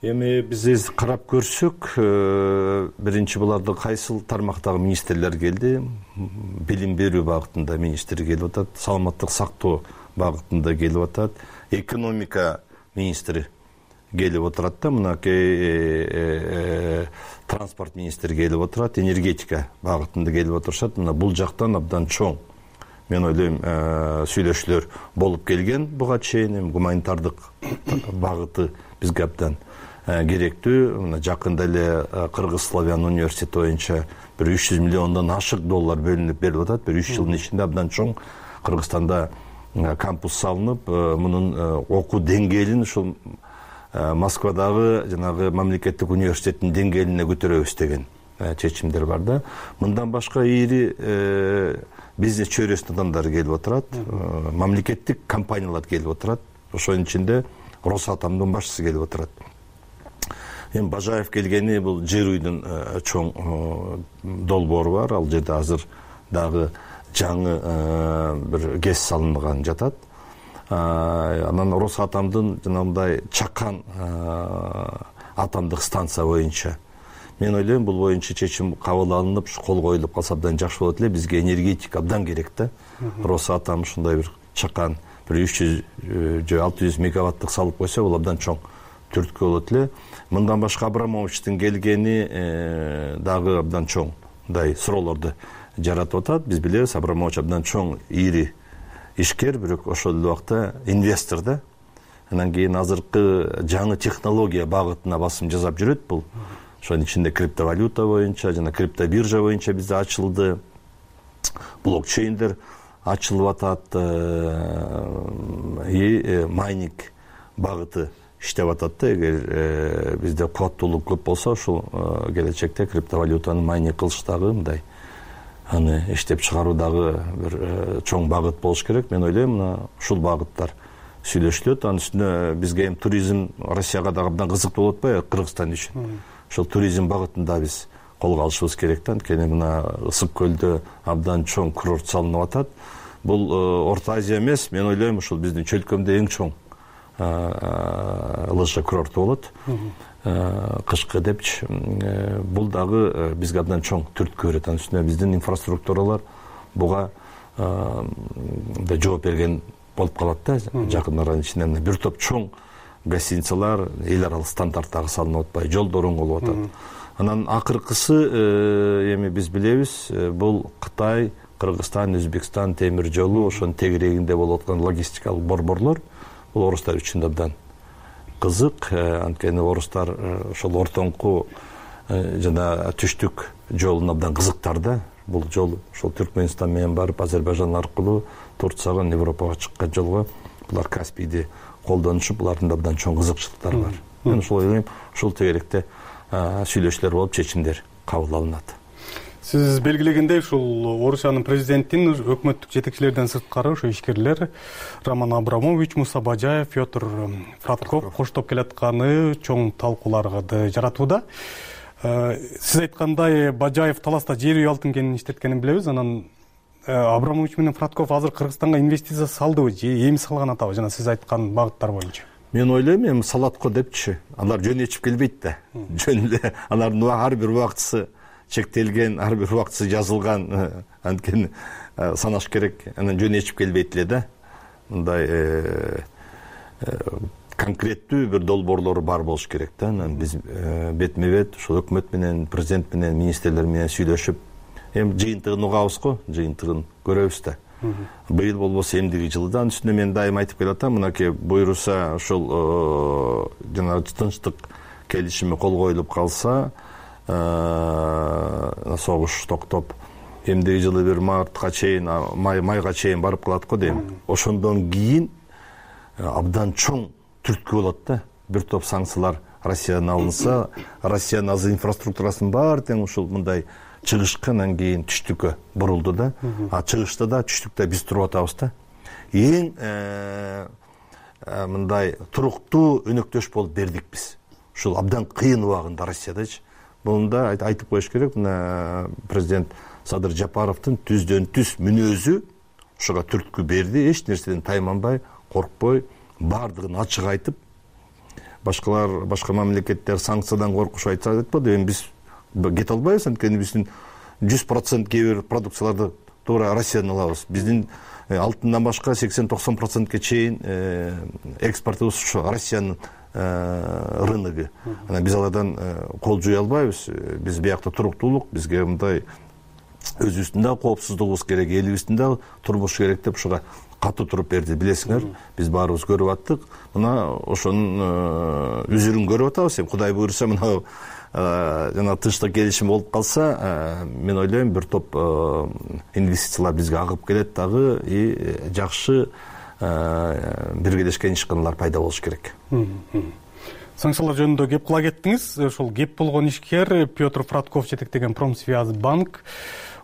Эми биз карап көрсөк, биринчи буларды кайсыл тармактагы министрлер келди? Билим берүү багытында министр келип атат, саламаттык сактоо багытында келип атат, экономика министри келип отурат да, мынакей транспорт министри келип отурат, энергетика багытында келип отурушат. Мына бул жактан абдан чоң, мен ойлойм, сүйлөшүүлөр болуп келген буга чейин. Гуманитардык багыты бизге абдан керектүү. Мына жакында эле Кыргыз Славян университети боюнча бир 300 миллиондон ашык доллар бөлүнүп берилип атат. Бир 3 жылдын ичинде абдан чоң Кыргызстанда кампус салынып, мунун окуу деңгээлин ушул Москвадагы жанагы мамлекеттик университеттин деңгээлине көтөрөбүз деген чечимдер бар да. Мындан башка ири бизнес чөйрөсүнүн адамдары келип отурат, мамлекеттик компаниялар келип отурат. Ошонун ичинде Росатомдун башчысы келип отурат. Эми Бажаев келгени бул жер үйдүн чоң долбоору бар. Ал жерде азыр дагы жаңы бир ГЭС салынган жатат. Анан Росатомдун жанагындай Чакан атомдук станция боюнча мен ойлойм бул боюнча чечим кабыл алынып, кол коюлуп калса абдан жакшы болот эле. Бизге энергетика абдан керек да. Росатом ушундай бир Чакан бир 300 же 600 мегаваттык салып койсо, бул абдан чоң түрткү болот эле. Мындан башка Абрамовичтин келгени дагы абдан чоң мындай суроолорду жаратып атат. Биз билебиз, Абрамович абдан чоң ири ишкер, бирок ошол эле убакта инвестор да. Анан кийин азыркы жаңы технология багытына басым жасап жүрөт бул. Ошонун ичинде криптовалюта боюнча жана криптобиржа боюнча бизде ачылды. Блокчейндер ачылып атат. Майнинг багыты иштеп атат да. Эгер бизде кубаттуулук көп болсо, ушул келечекте криптовалютаны майнинг кылыш дагы мындай аны иштеп чыгаруу дагы бир чоң багыт болуш керек. Мен ойлойм, мына ушул багыттар сүйлөшүлөт. Анын үстүнө бизге эми туризм Россияга дагы абдан кызыктуу болуп атпайбы, Кыргызстан үчүн. Ошол туризм багытында биз колго алышыбыз керек да. Анткени мына Ысык көлдө абдан чоң курорт салынып атат. Бул Орто Азия эмес, мен ойлойм, ушул биздин чөлкөмдө эң чоң лыжа курорту болот. Кышкы депчи. Бул дагы бизге абдан чоң түрткү берет. Анын үстүнө биздин инфраструктуралар буга жооп берген болуп калат да. Жакын аранын ичинде бир топ чоң гостиницалар эл аралык стандарттагы салынып атпай, жолдор оң болуп атат. Анан акыркысы эми биз билебиз, бул Кытай, Кыргызстан, Өзбекстан темир жолу, ошонун тегерегинде болуп аткан логистикалык борборлор бул орустар үчүн абдан кызык. Анткени орустар ошол ортоңку жана түштүк жолун абдан кызыктар да. Бул жол ошол Түркмөнстан менен барып Азербайжан аркылуу Турцияга, Европага чыккан жолго булар Каспийди колдонушуп, булардын да абдан чоң кызыкчылыктары бар. Мен ошол ойлойм, ушул тегеректе сүйлөшүүлөр болуп чечимдер кабыл алынат. Сиз белгилегендей, ушул Орусиянын президентин өкмөттүк жетекчилерден сырткары ошо ишкерлер Роман Абрамович, Муса Бажаев, Петр Фратков коштоп келатканы чоң талкууларды жаратууда. Сиз айткандай, Бажаев таласта жер үй алтын кенин иштеткенин билебиз. Анан Абрамович менен Фратков азыр Кыргызстанга инвестиция салдыбы же эми салган атабы, жана сиз айткан багыттар боюнча? Мен ойлойм, эми салат го депчи. Алар жөн ичип келбейт да. Жөн эле алардын ар бир убактысы чектелген, ар бир убактысы жазылган, анткени санаш керек. Анан жөн ичип келбейт эле да. Мындай конкреттүү бир долбоорлору бар болуш керек да. Анан биз бетме-бет ошол өкмөт менен, президент менен, министрлер менен сүйлөшүп, эми жыйынтыгын угабыз го, жыйынтыгын көрөбүз да. Быйыл болбосо эмдиги жылда. Анын үстүнө мен дайым айтып келатам, мынакей буйруса ошол жана тынчтык келишими кол коюлуп калса, согуш токтоп, эмдиги жылы бир мартка чейин, майга чейин барып калат го дейм. Ошондон кийин абдан чоң түрткү болот да. Бир топ санкциялар Россиядан алынса, Россиянын азыр инфраструктурасын баары тең ушул мындай чыгышкы, анан кийин түштүккө бурулду да. А чыгышта да, түштүктө биз туруп атабыз да. Эң мындай туруктуу өнөктөш болуп бердик биз. Ушул абдан кыйын убагында Россиядачы. Мында айтып коюш керек, мына президент Садыр Жапаровдун түздөн түз мүнөзү ошого түрткү берди. Эч нерседен тайманбай, коркпой, бардыгын ачык айтып, башка мамлекеттер санкциядан коркуш айтса айтпады. Эми биз кете албайбыз, анткени биздин 100% кээ бир продукцияларды туура Россиядан алабыз. Биздин алтындан башка 80-90%ке чейин экспортубуз ушу Россиянын рыногу. Анан биз алардан кол жуя албайбыз. Биз биякта туруктуулук, бизге мындай өзүбүздүн да коопсуздугубуз керек, элибиздин да турмуш керек деп ушуга катуу туруп берди. Билесиңер, биз баарыбыз көрүп аттык. Мына ошонун үзүрүн көрүп атабыз. Эми Кудай буйруса мына жана тынчтык келишим болуп калса, мен ойлойм бир топ инвестициялар бизге агып келет дагы, и жакшы биргелешкен ишканалар пайда болуш керек. Санкциялар жөнүндө кеп кыла кеттиңиз. Ошол кеп болгон ишкер Петр Фратков жетектеген Промсвязьбанк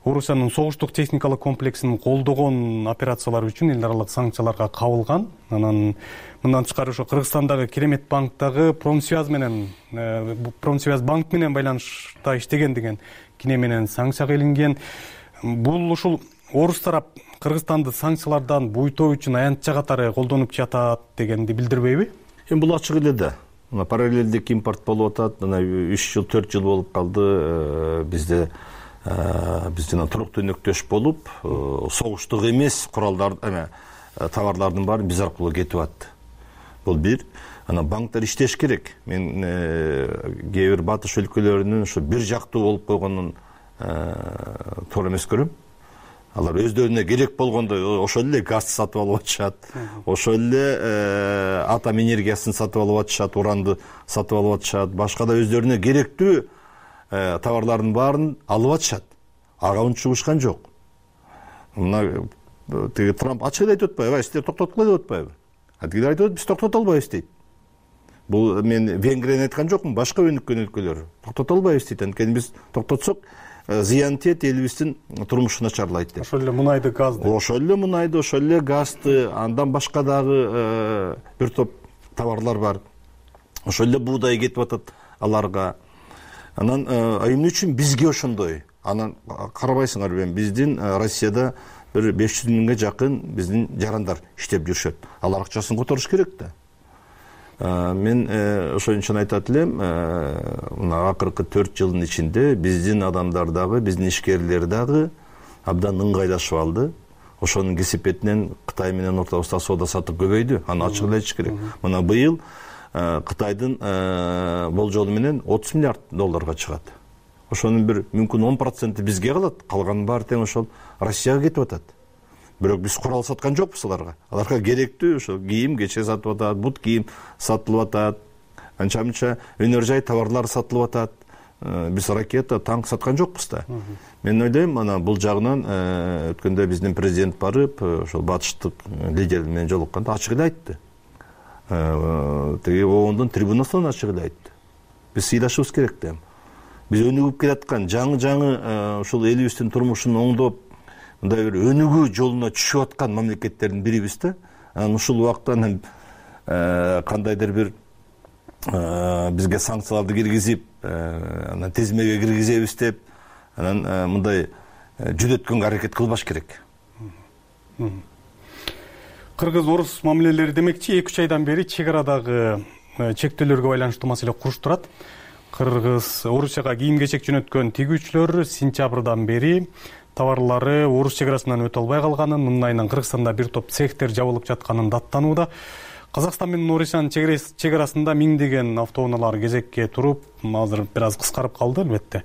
Орусиянын согуштук техникалык комплексин колдогон операциялар үчүн эл аралык санкцияларга кабылган. Анан мындан тышкары ошо Кыргызстандагы Керемет банктагы Промсвязьбанк менен байланышта иштеген деген кине менен санкцияга илинген. Бул ушул орус тарап Кыргызстанды санкциялардан буйтоо үчүн аянтча катары колдонуп жатат дегенди билдирбейби? Эми бул ачык эле да. Мына параллелдик импорт болуп атат. Мына 3 жыл, 4 жыл болуп калды. Бизде биз жана туруктуу өнөктөш болуп, согуштук эмес куралдар, товарлардын баары биз аркылуу кетип атты. Бул бир. Анан банктар иштеш керек. Мен кээ бир батыш өлкөлөрүнүн ушу бир жактуу болуп койгонун туура эмес көрөм. Алар өздөрүнө керек болгондой ошол эле газ сатып алып атышат, ошол эле атом энергиясын сатып алып атышат, уранды сатып алып атышат, башка да өздөрүнө керектүү товарлардын баарын алып атышат. Ага унчугушкан жок. Мына тиги Трамп ачык эле айтып атпайбы? Сиздер токтоткула деп атпайбы? Тигилер айтып атат, биз токтото албайбыз дейт. Бул мен Венгрияны айткан жокмун, башка өнүккөн өлкөлөр токтото албайбыз дейт. Анткени биз токтотсок зыян тиет, элибиздин турмушу начарлайт деп. Ошол эле мунайды, газды. Ошол эле мунайды, ошол эле газды, андан башка дагы бир топ товарлар бар. Ошол эле буудай кетип атат аларга. Анан эмне үчүн бизге ошондой? Анан карабайсыңарбы, эми биздин Россияда бир 500 миңге жакын биздин жарандар иштеп жүрүшөт. Алар акчасын которуш керек да. Мен ошон үчүн айтат элем, мына акыркы 4 жылдын ичинде биздин адамдар дагы, биздин ишкерлер дагы абдан ыңгайлашып алды. Ошонун кесепетинен Кытай менен ортобузда соода сатык көбөйдү. Аны ачык эле айтыш керек. Мына быйыл Кытайдын болжолу менен 30 миллиард долларга чыгат. Ошонун бир мүмкүн 10% бизге калат, калганын баары тең ошол Россияга кетип атат. Бирок биз курал саткан жокпуз аларга. Аларга керектүү ошо кийим, кече сатып атат, бут кийим сатылып атат, анча-мынча өнөр жай товарлар сатылып атат. биз ракета, танк саткан жокпуз да. Мен ойлойм, ана бул жагынан өткөндө биздин президент барып, ошол батыштык лидер менен жолукканда ачык эле айтты. Тиги оондун трибунасынан ачык эле айтты. Биз сыйлашыбыз керек да. Биз өнүгүп келаткан жаңы ушул элибиздин турмушун оңдоп, мындай бир өнүгүү жолуна түшүп аткан мамлекеттердин бирибиз да. Анан ушул убакта кандайдыр бир бизге санкцияларды киргизип, анан тизмеге киргизебиз деп, анан мындай жүдөткөнгө аракет кылбаш керек. Кыргыз-орус мамилелери демекчи 2-3 айдан бери чек арадагы чектөөлөргө байланыштуу маселе куруштурат. Кыргыз Орусияга кийим-кечек жөнөткөн тигүүчүлөр сентябрдан бери товарлары Орус чек арасынан өтө албай калганын, мындан айынан Кыргызстанда бир топ цехтер жабылып жатканын даттанууда. Казакстан менен Орусиянын чек арасында миңдеген автоунаалар кезекке туруп, азыр бир аз кыскарып калды албетте.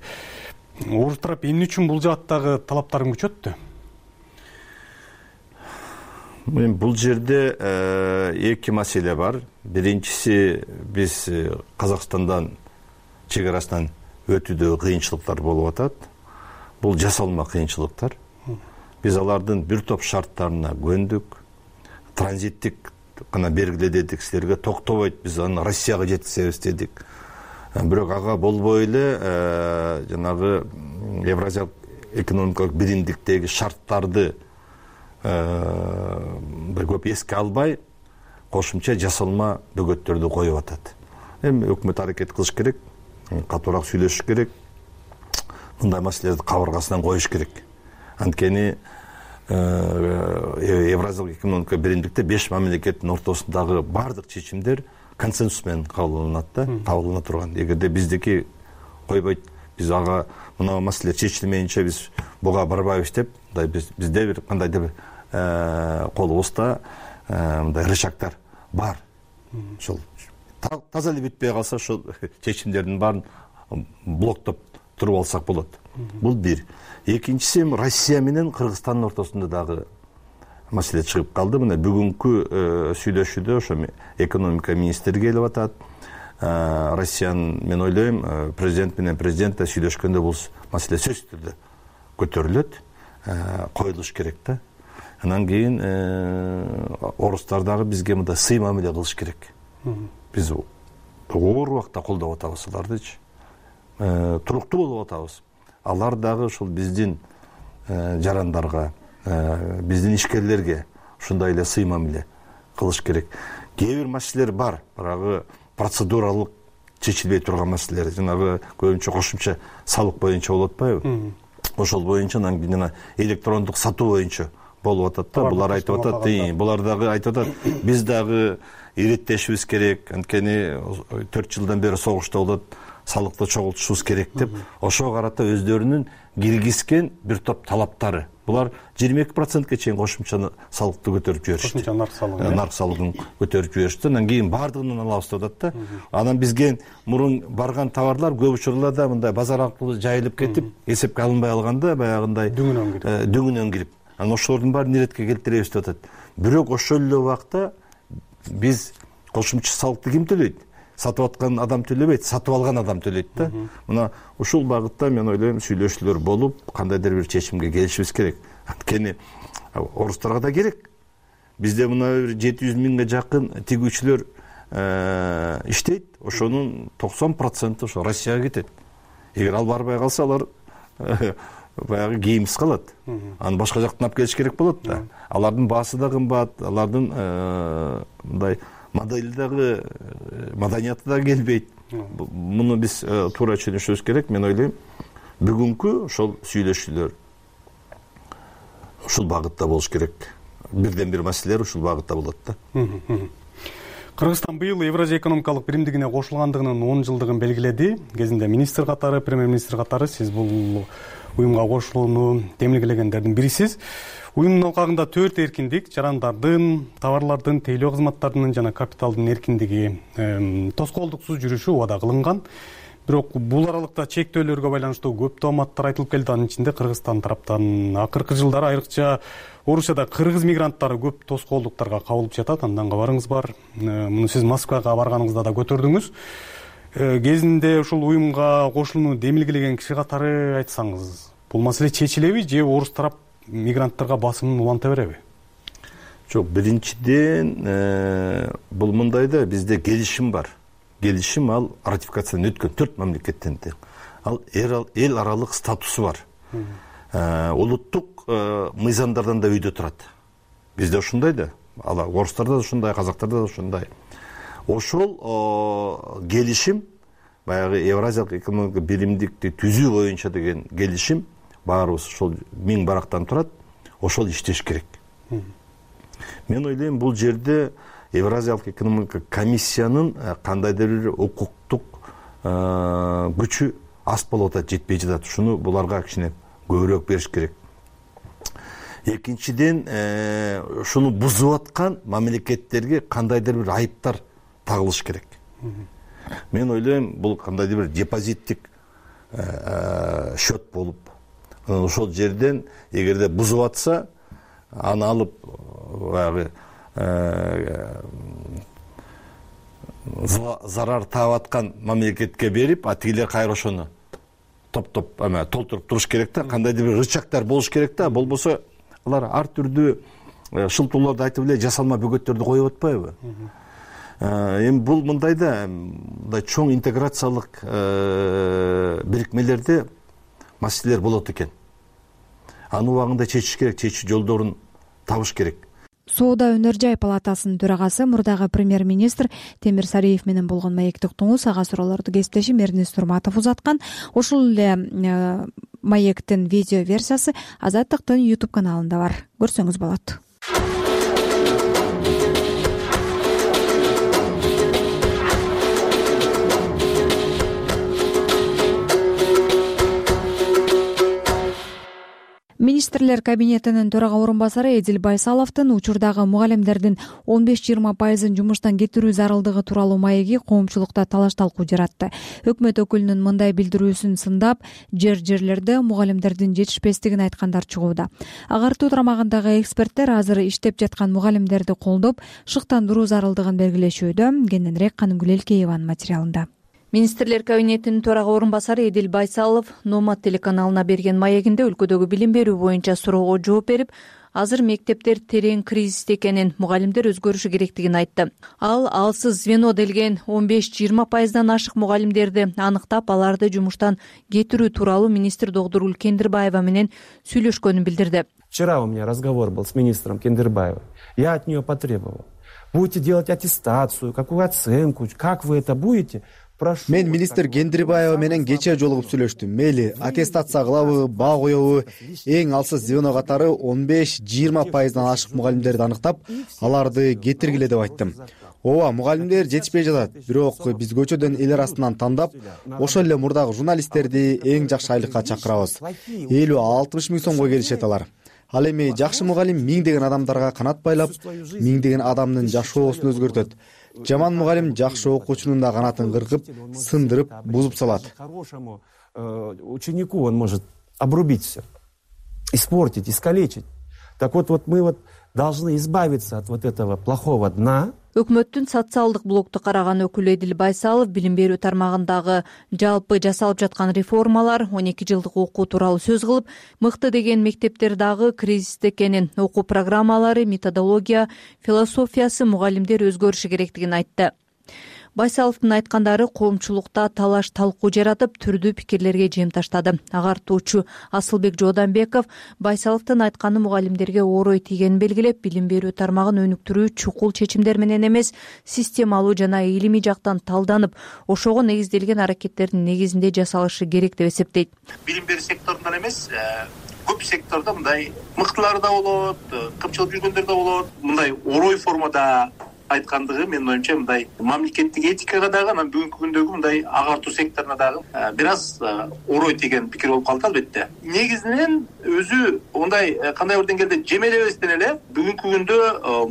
Орус тарап эмне үчүн бул жааттагы талаптарын күчөттү? Бул жерде эки маселе бар. Биринчиси, биз Казакстандан чек арасынан өтүүдө кыйынчылыктар болуп атат. Бул жасалма кыйынчылыктар. Биз алардын бир топ шарттарына көндүк. Транзиттик гана бергиле дедик силерге, токтобойт, биз аны Россияга жеткизебиз дедик. Бирок ага болбой эле жанагы Евразиялык экономикалык биримдиктеги шарттарды көп эске албай, кошумча жасалма бөгөттөрдү коюп атат. Эми өкмөт аракет кылыш керек, катуураак сүйлөшүш керек. Мындай маселелерди кабыргасынан коюш керек. Анткени Евразиялык экономика биримдикте 5 мамлекеттин ортосундагы бардык чечимдер консенсус менен кабылданат да, кабылдана турган. Эгерде биздики койбойт, биз ага мына маселе чечилмейинче биз буга барбайбыз деп, бизде бир кандайдыр колубузда мындай рычагдар бар. Ошол таза эле бүтпөй калса, ошол чечимдердин баарын блоктоп туруп алсак болот. Бул бир. Экинчиси, Россия менен Кыргызстандын ортосунда дагы маселе чыгып калды. Мына бүгүнкү сүйлөшүүдө ошо экономика министри келип атат. Россиянын, мен ойлойм, президент менен президент сүйлөшкөндө бул маселе сөзсүз түрдө көтөрүлөт, коюлуш керек да. Анан кийин орустар дагы бизге мындай сый мамиле кылыш керек. Биз оор убакта колдоп атабыз алардычы. Туруктуу болуп атабыз. Алар дагы ушул биздин жарандарга, биздин ишкерлерге ушундай эле сый мамиле кылыш керек. Кээ бир маселелер бар, баягы процедуралык чечилбей турган маселелер, жанагы көбүнчө кошумча салык боюнча болуп атпайбы? Ошол боюнча, анан жана электрондук сатуу боюнча болуп атат да. Булар айтып атат, булар дагы айтып атат, биз дагы иреттешибиз керек, анткени 4 жылдан бери согушта болот, салыкты чогултушубуз керек деп, ошого карата өздөрүнүн киргизген бир топ талаптары. Булар 22%ке чейин кошумча салыкты көтөрүп жиберишти. Кошумча нарк салыгын көтөрүп жиберишти. Анан кийин бардыгынан алабыз деп атат да. Анан бизге мурун барган товарлар көп учурларда мындай базар аркылуу жайылып кетип, эсепке алынбай алганда баягындай дөңүнөн кирип. Анан ошолордун баарын иретке келтиребиз деп атат. Бирок ошол эле убакта биз кошумча салыкты ким төлөйт? Сатып аткан адам төлөбөйт, сатып алган адам төлөйт да. Мына ушул багытта мен ойлойм сүйлөшүүлөр болуп, кандайдыр бир чечимге келишибиз керек. Анткени орустарга да керек. Бизде мына 700 миңге жакын тигүүчүлөр иштейт. Ошонун 90% ошо Россияга кетет. Эгер ал барбай калса, алар баягы кийимсиз калат. Аны башка жактан алып келиш керек болот да. Алардын баасы да кымбат, алардын мындай модели дагы, маданияты да келбейт. Муну биз туура түшүнүшүбүз керек. Мен ойлойм, бүгүнкү ошол сүйлөшүүлөр ушул багытта болуш керек. Бирден бир маселелер ушул багытта болот да. Кыргызстан быйыл Евразия экономикалык биримдигине кошулгандыгынын 10 жылдыгын белгиледи. Кезинде министр катары, премьер-министр катары сиз бул уюмга кошулууну демилгелегендердин бирисиз. Уюмдун алкагында 4 эркиндик, жарандардын, товарлардын, тейлөө кызматтарынын жана капиталдын эркиндиги, тоскоолдуксуз жүрүшү убада кылынган. Бирок бул аралыкта чектөөлөргө байланыштуу көп тооматтар айтылып келди. Анын ичинде Кыргызстан тараптан акыркы жылдары айрыкча Орусияда кыргыз мигранттары көп тоскоолдуктарга кабылып жатат. Андан кабарыңыз бар. Муну сиз Москвага барганыңызда да көтөрдүңүз. кезинде ушул уюмга кошулууну демилгелеген киши катары айтсаңыз, бул маселе чечилеби же орус тарап мигранттарга басымын уланта береби? Жок, биринчиден бул мындай да, бизде келишим бар. Келишим ал ратификациядан өткөн 4 мамлекеттен тең. Ал эл аралык статусу бар. Улуттук мыйзамдардан да үйдө турат. Бизде ушундай да, орустарда да ушундай, казактарда да ушундай. Ошол келишим, баягы Евразиялык экономикалык биримдикти түзүү боюнча деген келишим баарыбыз ошол 1000 барактан турат. Ошол иштеш керек. Мен ойлойм, бул жерде Евразиялык экономикалык комиссиянын кандайдыр бир укуктук күчү аз болуп атат, жетпей жатат. Шуну буларга кичине көбүрөөк бериш керек. Экинчиден, шуну бузуп аткан мамлекеттерге кандайдыр бир айыптар тагылыш керек. Мен ойлойм, бул кандайдыр бир депозиттик счет болуп, ошол жерден эгерде бузуп атса, аны алып баягы зарар таап аткан мамлекетке берип, тигилер кайра ошону топ-топ толтуруп туруш керек да, кандайдыр бир рычагдар болуш керек да, болбосо алар ар түрдүү шылтоолорду айтып эле жасалма бөгөттөрдү коюп атпайбы? Эми бул мындай да, мындай чоң интеграциялык бирикмелерде маселелер болот экен. Аны убагында чечиш керек, чечүү жолдорун табыш керек. Соода өнөр жай палатасынын төрагасы, мурдагы премьер-министр Темир Сариев менен болгон маектик туңуз ага суроолорду кесиптешим Эрнест Турматов узаткан. Ошол эле маектин видео версиясы Азаттыктын YouTube каналында бар. Көрсөңүз болот. Министрлер кабинетинин төрага орун басары Эдил Байсаловдун учурдагы мугалимдердин 15-20% жумуштан кетирүү зарылдыгы тууралуу маеги коомчулукта талаш-талкуу жаратты. Өкмөт өкүлүнүн мындай билдирүүсүн сындап, жерлерде мугалимдердин жетишпестигин айткандар чыгууда. Агартуу тармагындагы эксперттер азыр иштеп жаткан мугалимдерди колдоп, шыктандыруу зарылдыгын белгилешүүдө. Кененирээк Канымгүл Элкееванын материалында. Министрлер кабинетинин төрага орун басары Эдил Байсалов Номад телеканалына берген маегинде өлкөдөгү билим берүү боюнча суроого жооп берип, азыр мектептер терең кризисте экенин, мугалимдер өзгөрүшү керектигин айтты. Ал алсыз звено делген 15-20%дан ашык мугалимдерди аныктап, аларды жумуштан кетирүү тууралуу министр Догдургүл Кендирбаева менен сүйлөшкөнүн билдирди. Вчера у меня разговор был с министром Кендирбаевой. Я от нее потребовал: будете делать аттестацию, какую оценку, как вы это будете? Мен министр Кендирбаева менен кечээ жолугуп сүйлөштүм. Мейли аттестация кылабы, баа коебу, эң алсыз звено катары 15-20%дан ашык мугалимдерди аныктап, аларды кетиргиле деп айттым. Ооба, мугалимдер жетишпей жатат, бирок биз көчөдөн эл арасынан тандап, ошол эле мурдагы журналисттерди эң жакшы айлыкка чакырабыз. 50-60 миң сомго келишет алар. Ал эми жакшы мугалим миңдеген адамдарга канат байлап, миңдеген адамдын жашоосун өзгөртөт. Жаман мугалим жакшы окуучунун да канатын кыркып, сындырып, бузуп салат. Ученику он может обрубить все, испортить, искалечить. Так вот мы должны избавиться от этого плохого дна. Өкмөттүн социалдык блокту караган өкүлү Эдил Байсалов билим берүү тармагындагы жалпы жасалып жаткан реформалар, 12 жылдык окуу тууралуу сөз кылып, мыкты деген мектептер дагы кризисте экенин, окуу программалары, методология, философиясы, мугалимдер өзгөрүшү керектигин айтты. Байсаловдун айткандары коомчулукта талаш-талкуу жаратып, түрдүү пикирлерге жем таштады. Агартуучу Асылбек Жооданбеков Байсаловдун айтканы мугалимдерге орой тийгенин белгилеп, билим берүү тармагын өнүктүрүү чукул чечимдер менен эмес, системалуу жана илимий жактан талданып, ошого негизделген аракеттердин негизинде жасалышы керек деп эсептейт. Билим берүү секторунан эмес, көп сектордо мындай мыктылар да болот, кымчылып жүргөндөр да болот. Мындай орой формада айткандыгы менин оюмча мындай мамлекеттик этикага дагы, анан бүгүнкү күндөгү мындай агартуу секторуна дагы бир аз орой тийген пикир болуп калды албетте. Негизинен өзү мындай кандай бир деңгээлде жемелебестен эле бүгүнкү күндө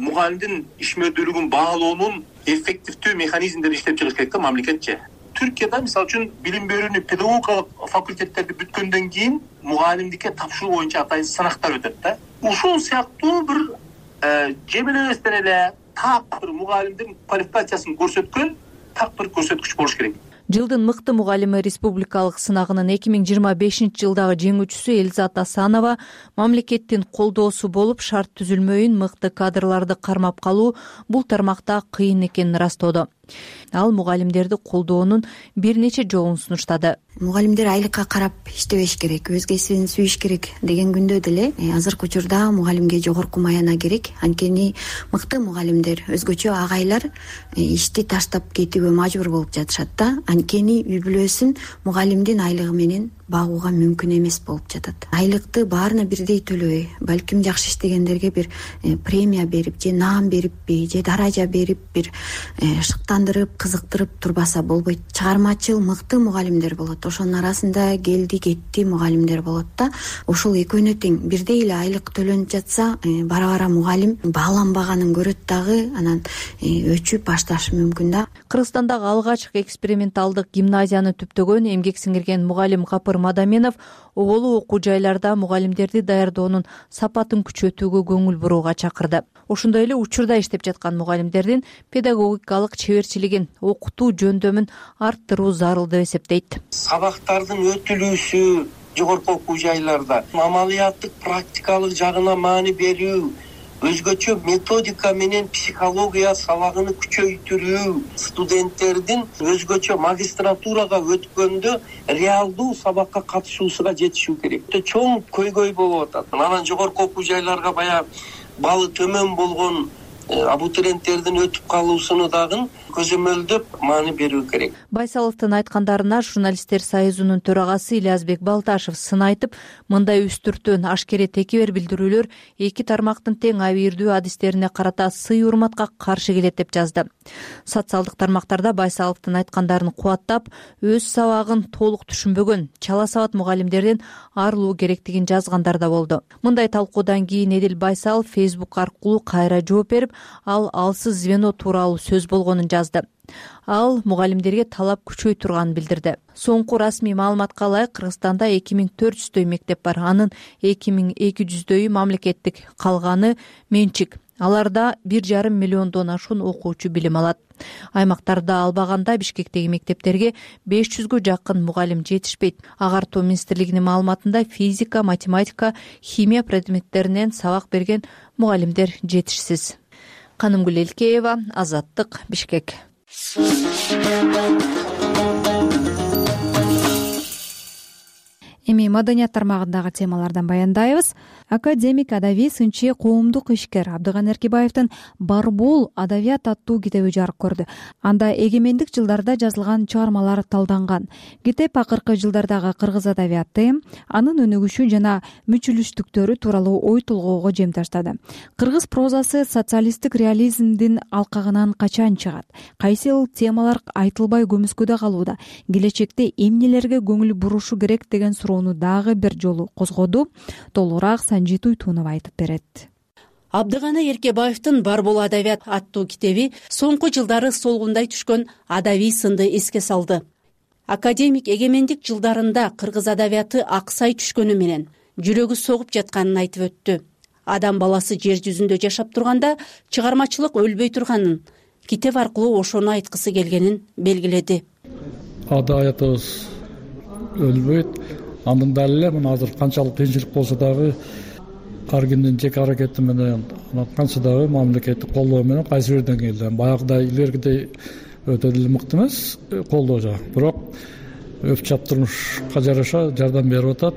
мугалимдин ишмердүүлүгүн баалоонун эффективдүү механизмдерин иштеп чыгыш керек да мамлекетче. Түркияда мисалы үчүн билим берүүнү педагогикалык факультеттерди бүткөндөн кийин мугалимдикке тапшыруу боюнча атайын сынактар өтөт да. Ушул сыяктуу бир жемелебестен эле так бир мугалимдин квалификациясын көрсөткөн так бир көрсөткүч болуш керек. Жылдын мыкты мугалими республикалык сынагынын 2025-жылдагы жеңүүчүсү Элизат Асанова мамлекеттин колдоосу болуп шарт түзүлмөйүн мыкты кадрларды кармап калуу бул тармакта кыйын экенин ырастоодо. Ал мугалимдерди колдоонун бир нече жолун сунуштады. Мугалимдер айлыкка карап иштебеш керек, өз кесибин сүйүш керек деген күндө деле азыркы учурда мугалимге жогорку маяна керек. Анткени мыкты мугалимдер, өзгөчө агайлар ишти таштап кетүүгө мажбур болуп жатышат да. Анткени үй бүлөсүн мугалимдин айлыгы менен багууга мүмкүн эмес болуп жатат. Айлыкты баарына бирдей төлөбөй, балким жакшы иштегендерге бир премия берип, же наам бериппи, же даража берип, бир шыктандырып, кызыктырып турбаса болбойт. Чыгармачыл мыкты мугалимдер болот. Ошонун арасында келди кетти мугалимдер болот да. Ошол экөөнө тең бирдей эле айлык төлөнүп жатса, бара-бара мугалим бааланбаганын көрөт дагы, анан өчүп башташы мүмкүн да. Кыргызстандагы алгачкы эксперименталдык гимназияны түптөгөн эмгек сиңирген мугалим Капыр Мадаменов оголу окуу жайларда мугалимдерди даярдоонун сапатын күчөтүүгө көңүл бурууга чакырды. Ошондой эле учурда иштеп жаткан мугалимдердин педагогикалык чеберчилигин, окутуу жөндөмүн арттыруу зарыл деп эсептейт. Сабактардын өтүлүүсү жогорку окуу жайларда амалияттык практикалык жагына маани берүү, өзгөчө методика менен психология сабагын күчөйтүрүү, студенттердин өзгөчө магистратурага өткөндө реалдуу сабакка катышуусуна жетишүү керек. Чоң көйгөй болуп атат. Анан жогорку окуу жайларга баягы балы төмөн болгон абутуренттердин өтүп калуусуну дагы көзөмөлдөп маани берүү керек. Байсаловдун айткандарына журналисттер союзунун төрагасы Ильязбек Балташев сын айтып, мындай үстүртөн ашкере текебер билдирүүлөр эки тармактын тең абийирдүү адистерине карата сый урматка каршы келет деп жазды. Социалдык тармактарда Байсаловдун айткандарын кубаттап, өз сабагын толук түшүнбөгөн чала сабат мугалимдерден арылуу керектигин жазгандар да болду. Мындай талкуудан кийин Эдил Байсалов Facebook аркылуу кайра жооп берип, ал алсыз звено тууралуу сөз болгонун жазды. Ал мугалимдерге талап күчөй турганын билдирди. Соңку расмий маалыматка ылайык Кыргызстанда 2400дөй мектеп бар. Анын 2200дөйү мамлекеттик, калганы менчик. Аларда 1,5 миллиондон ашуун окуучу билим алат. Аймактарда албаганда Бишкектеги мектептерге 500гө жакын мугалим жетишпейт. Агартуу министрлигинин маалыматында физика, математика, химия предметтеринен сабак берген мугалимдер жетишсиз. Канымгүл Элкеева, Азаттык, Бишкек. Эми маданият тармагындагы темалардан баяндайбыз. Академик, адабий сынчы, коомдук ишкер Абдыган Эркебаевдин Барбул адабият аттуу китеби жарык көрдү. Анда эгемендик жылдарда жазылган чыгармалар талданган. Китеп акыркы жылдардагы кыргыз адабияты, анын өнүгүшү жана мүчүлүштүктөрү тууралуу ой толгоого жем таштады. Кыргыз прозасы социалисттик реализмдин алкагынан качан чыгат? Кайсы темалар айтылбай көмүскөдө калууда? Келечекте эмнелерге көңүл бурушу керек деген суроону дагы бир жолу козгоду. Толугураак Санжит Уйтунов айтып берет. Абдыгана Эркебаевдин Барбул адабият аттуу китеби соңку жылдары солгундай түшкөн адабий сынды эске салды. Академик эгемендик жылдарында кыргыз адабияты аксай түшкөнү менен жүрөгү согуп жатканын айтып өттү. Адам баласы жер жүзүндө жашап турганда чыгармачылык өлбөй турганын, китеп аркылуу ошону айткысы келгенин белгиледи. Адабиятыбыз өлбөйт. Андан дале эле мына азыр канчалык кыйынчылык болсо дагы ар кимдин жеке аракети менен, канча дагы мамлекеттик колдоо менен кайсы бир деңгээлде баягыдай илгеркидей өтө деле мыкты эмес колдоо жагы, бирок өп чап турмушка жараша жардам берип атат.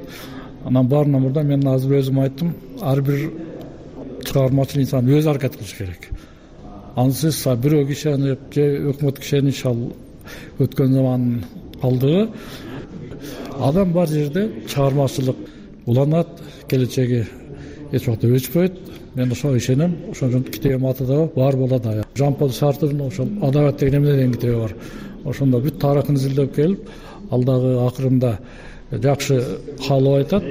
Анан баарынан мурда мен азыр өзүм айттым, ар бир чыгармачыл инсан өзү аракет кылыш керек. Ансыз бирөө кишенип же өкмөт кишенип өткөн замандын калдыгы. Адам бар жерде чыгармачылык уланат, келечеги эч убакта өчпөйт. Мен ошого ишенем. Ошон үчүн китебим аты да бар болот. Жан-Пол Сартрдын ошол адабият деген эмне деген китеби бар. Ошондо бүт тарыхын изилдеп келип, ал дагы акырында жакшы каалоо айтат.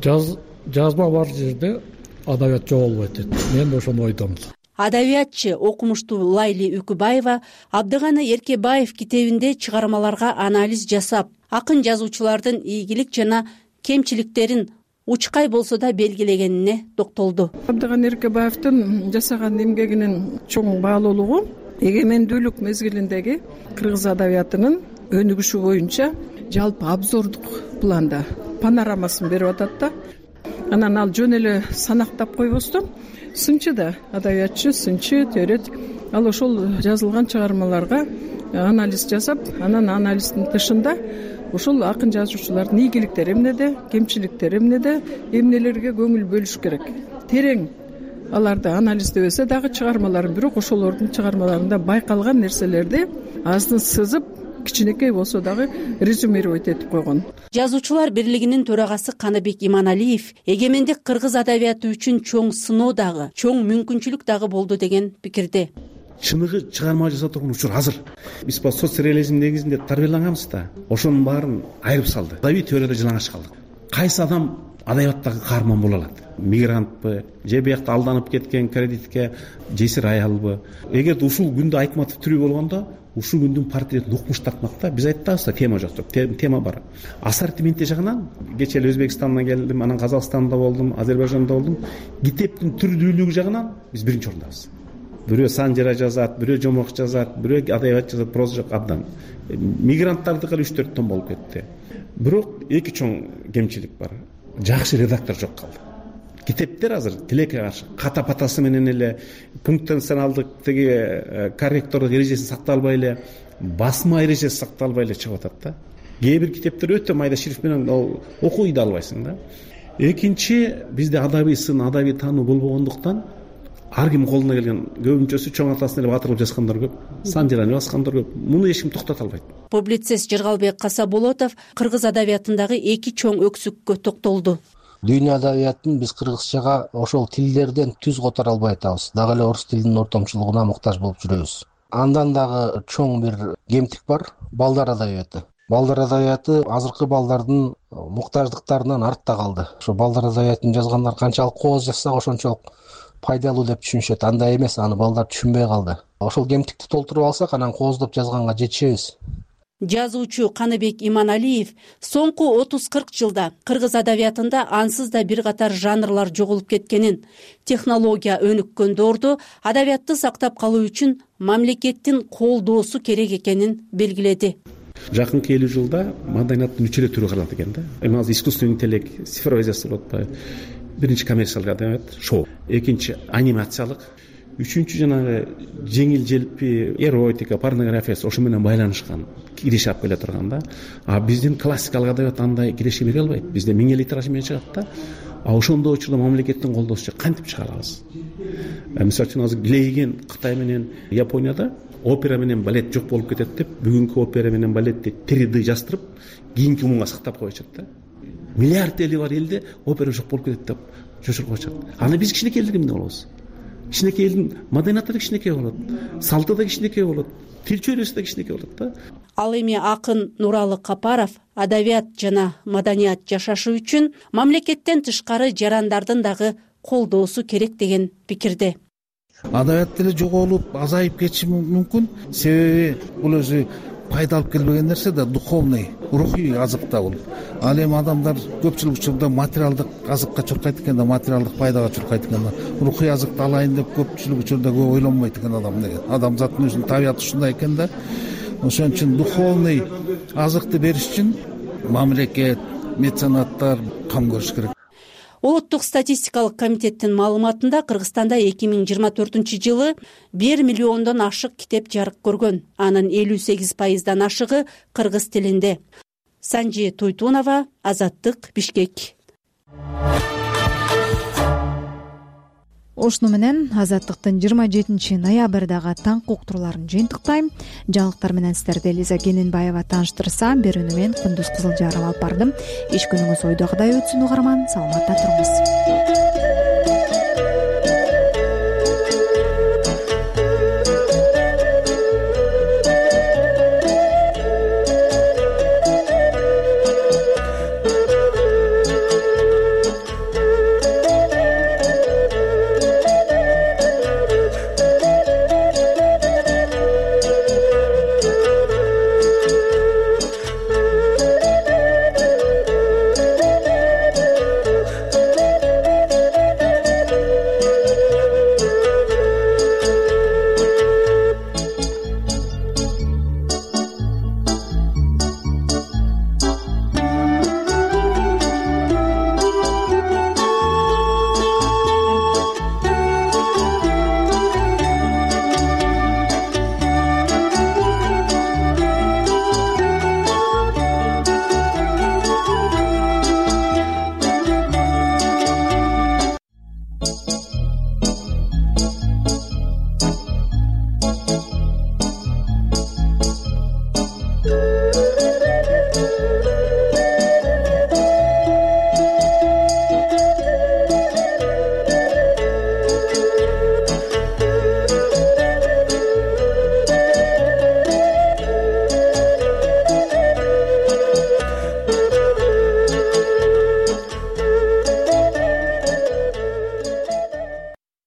Жазма бар жерде адабият жоголбойт дейт. Мен ошону ойдомун. Адабиятчы, окумуштуу Лайли Үкүбаева Абдыгана Эркебаев китебинде чыгармаларга анализ жасап, акын жазуучулардын ийгилик жана кемчиликтерин учкай болсо да белгилегенине токтолду. Абдыган Эркебаевдин жасаган эмгегинин чоң баалуулугу эгемендүүлүк мезгилиндеги кыргыз адабиятынын өнүгүшү боюнча жалпы обзордук планда панорамасын берип атат да. Анан ал жөн эле санактап койбостон сынчы да, адабиятчы сынчы терет ал ошол жазылган чыгармаларга анализ жасап, анан анализдин тышында ошол акын жазуучулардын ийгиликтери эмнеде, кемчиликтери эмнеде, эмнелерге көңүл бөлүш керек. Терең аларды анализдебесе дагы чыгармаларын, бирок ошолордун чыгармаларында байкалган нерселерди аздын сызып, кичинекей болсо дагы резюмировать этип койгон. Жазуучулар бирлигинин төрагасы Каныбек Иманалиев эгемендик кыргыз адабияты үчүн чоң сыноо дагы, чоң мүмкүнчүлүк дагы болду деген пикирде. Чыныгы чыгарма жаза турган учур азыр. Биз соцреализм негизинде тарбияланганбыз да, ошонун баарын айырып салды. Адабий теорияда жалаңаш калдык. Кайсы адам адабияттагы каарман боло алат? Мигрантпы, же биякта алданып кеткен кредитке жесир аялбы? Эгерде ушул күндө Айтматов тирүү болгондо, ушул күндүн портретин укмуш тартмак да. Биз айтабыз да, тема жок деп. Тема бар. Ассортименти жагынан кечээ эле Өзбекстандан келдим, анан Казакстанда болдум, Азербайжанда болдум. Китептин түрдүүлүгү жагынан биз биринчи орундабыз. Бирөө санжыра жазат, бирөө жомок жазат, бирөө адабият жазат, проза жок абдан. Мигранттардыкы 3-4 том болуп кетти. Бирок эки чоң кемчилик бар. Жакшы редактор жок калды. Китептер азыр тилекке каршы ката-патасы менен эле пунктенционалдык теги корректордук эрежеси сакталбай эле, басма эрежеси сакталбай эле чыгып атат да. Кээ бир китептер өтө майда шрифт менен окуй да албайсың да. Экинчи, бизде адабий сын, адабий таануу болбогондуктан ар ким колуна келген көбүнчөсү чоң атасын эле батырылып жазгандар көп, санжираны баскандар көп. Муну эч ким токтото албайт. Публицист Жыргалбек Касаболотов кыргыз адабиятындагы эки чоң өксүккө токтолду. Дүйнө адабиятын биз кыргызчага ошол тилдерден түз котора албай атабыз. Дагы эле орус тилинин ортомчулугуна муктаж болуп жүрөбүз. Андан дагы чоң бир кемтик бар, балдар адабияты. Балдар адабияты азыркы балдардын муктаждыктарынан артта калды. Ошо балдар адабиятын жазгандар канчалык кооз жазсак ошончолук пайдалуу деп түшүнүшөт. Андай эмес, аны балдар түшүнбөй калды. Ошол кемтикти толтуруп алсак, анан кооздоп жазганга жетишебиз. Жазуучу Каныбек Иманалиев соңку 30-40 жылда кыргыз адабиятында ансыз да бир катар жанрлар жоголуп кеткенин, технология өнүккөн доордо адабиятты сактап калуу үчүн мамлекеттин колдоосу керек экенин белгиледи. Жакынкы 50 жылда маданияттын 3 эле түрү калат экен да. Эми азыр искусственный интеллект, цифровизация болуп атпайбы? Биринчи коммерциялык адабият, шоу. Экинчи анимациялык. Үчүнчү жанагы жеңил желпи эротика, порнография ошо менен байланышкан киреше алып келе турган да. А биздин классикалык адабият андай киреше бере албайт. Бизде 1000 эле тираж менен чыгат да. А ошондой учурда мамлекеттин колдоосу кантип чыгара алабыз? Мисалы үчүн азыр Глейген Кытай менен Японияда опера менен балет жок болуп кетет деп, бүгүнкү опера менен балетти 3D жаздырып, кийинки муңга сактап коюшат да. Миллиард эли бар элде опера жок болуп кетет деп жошуруп коюшат. Аны биз кичинекей элдер эмне болобуз? Кичинекей элдин маданияты да кичинекей болот, салты да кичинекей болот, тил чөйрөсү да кичинекей болот да. Ал эми акын Нуралы Капаров адабият жана маданият жашашы үчүн мамлекеттен тышкары жарандардын дагы колдоосу керек деген пикирде. Адабият деле жоголуп, азайып кетиши мүмкүн. Себеби бул өзү пайда алып келбеген нерсе да, духовный, рухий азык да бул. Ал эми адамдар көпчүлүк учурда материалдык азыкка чуркайт экен да, материалдык пайдага чуркайт экен да. Рухий азыкты алайын деп көпчүлүк учурда көп ойлонбойт экен адам деген. Адамзаттын өзүнүн табияты ушундай экен да. Ошон үчүн духовный азыкты бериш үчүн мамлекет, меценаттар кам көрүш керек. Улуттук статистикалык комитеттин маалыматында Кыргызстанда 2024 жылы 1 миллиондон ашык китеп жарык көргөн. Анын 58% ашыгы кыргыз тилинде. Санжи Туйтунова, Азаттык, Бишкек. Ошону менен Азаттыктын 27 ноябрдагы таңкы уктурууларын жыйынтыктайм. Жаңылыктар менен сиздерди Элиза Кененбаева тааныштырсам, берүүнү мен Кундуз Кызылжаров алып бардым. Иш күнүңүз ойдогудай өтсүн угарман, саламатта туруңуз.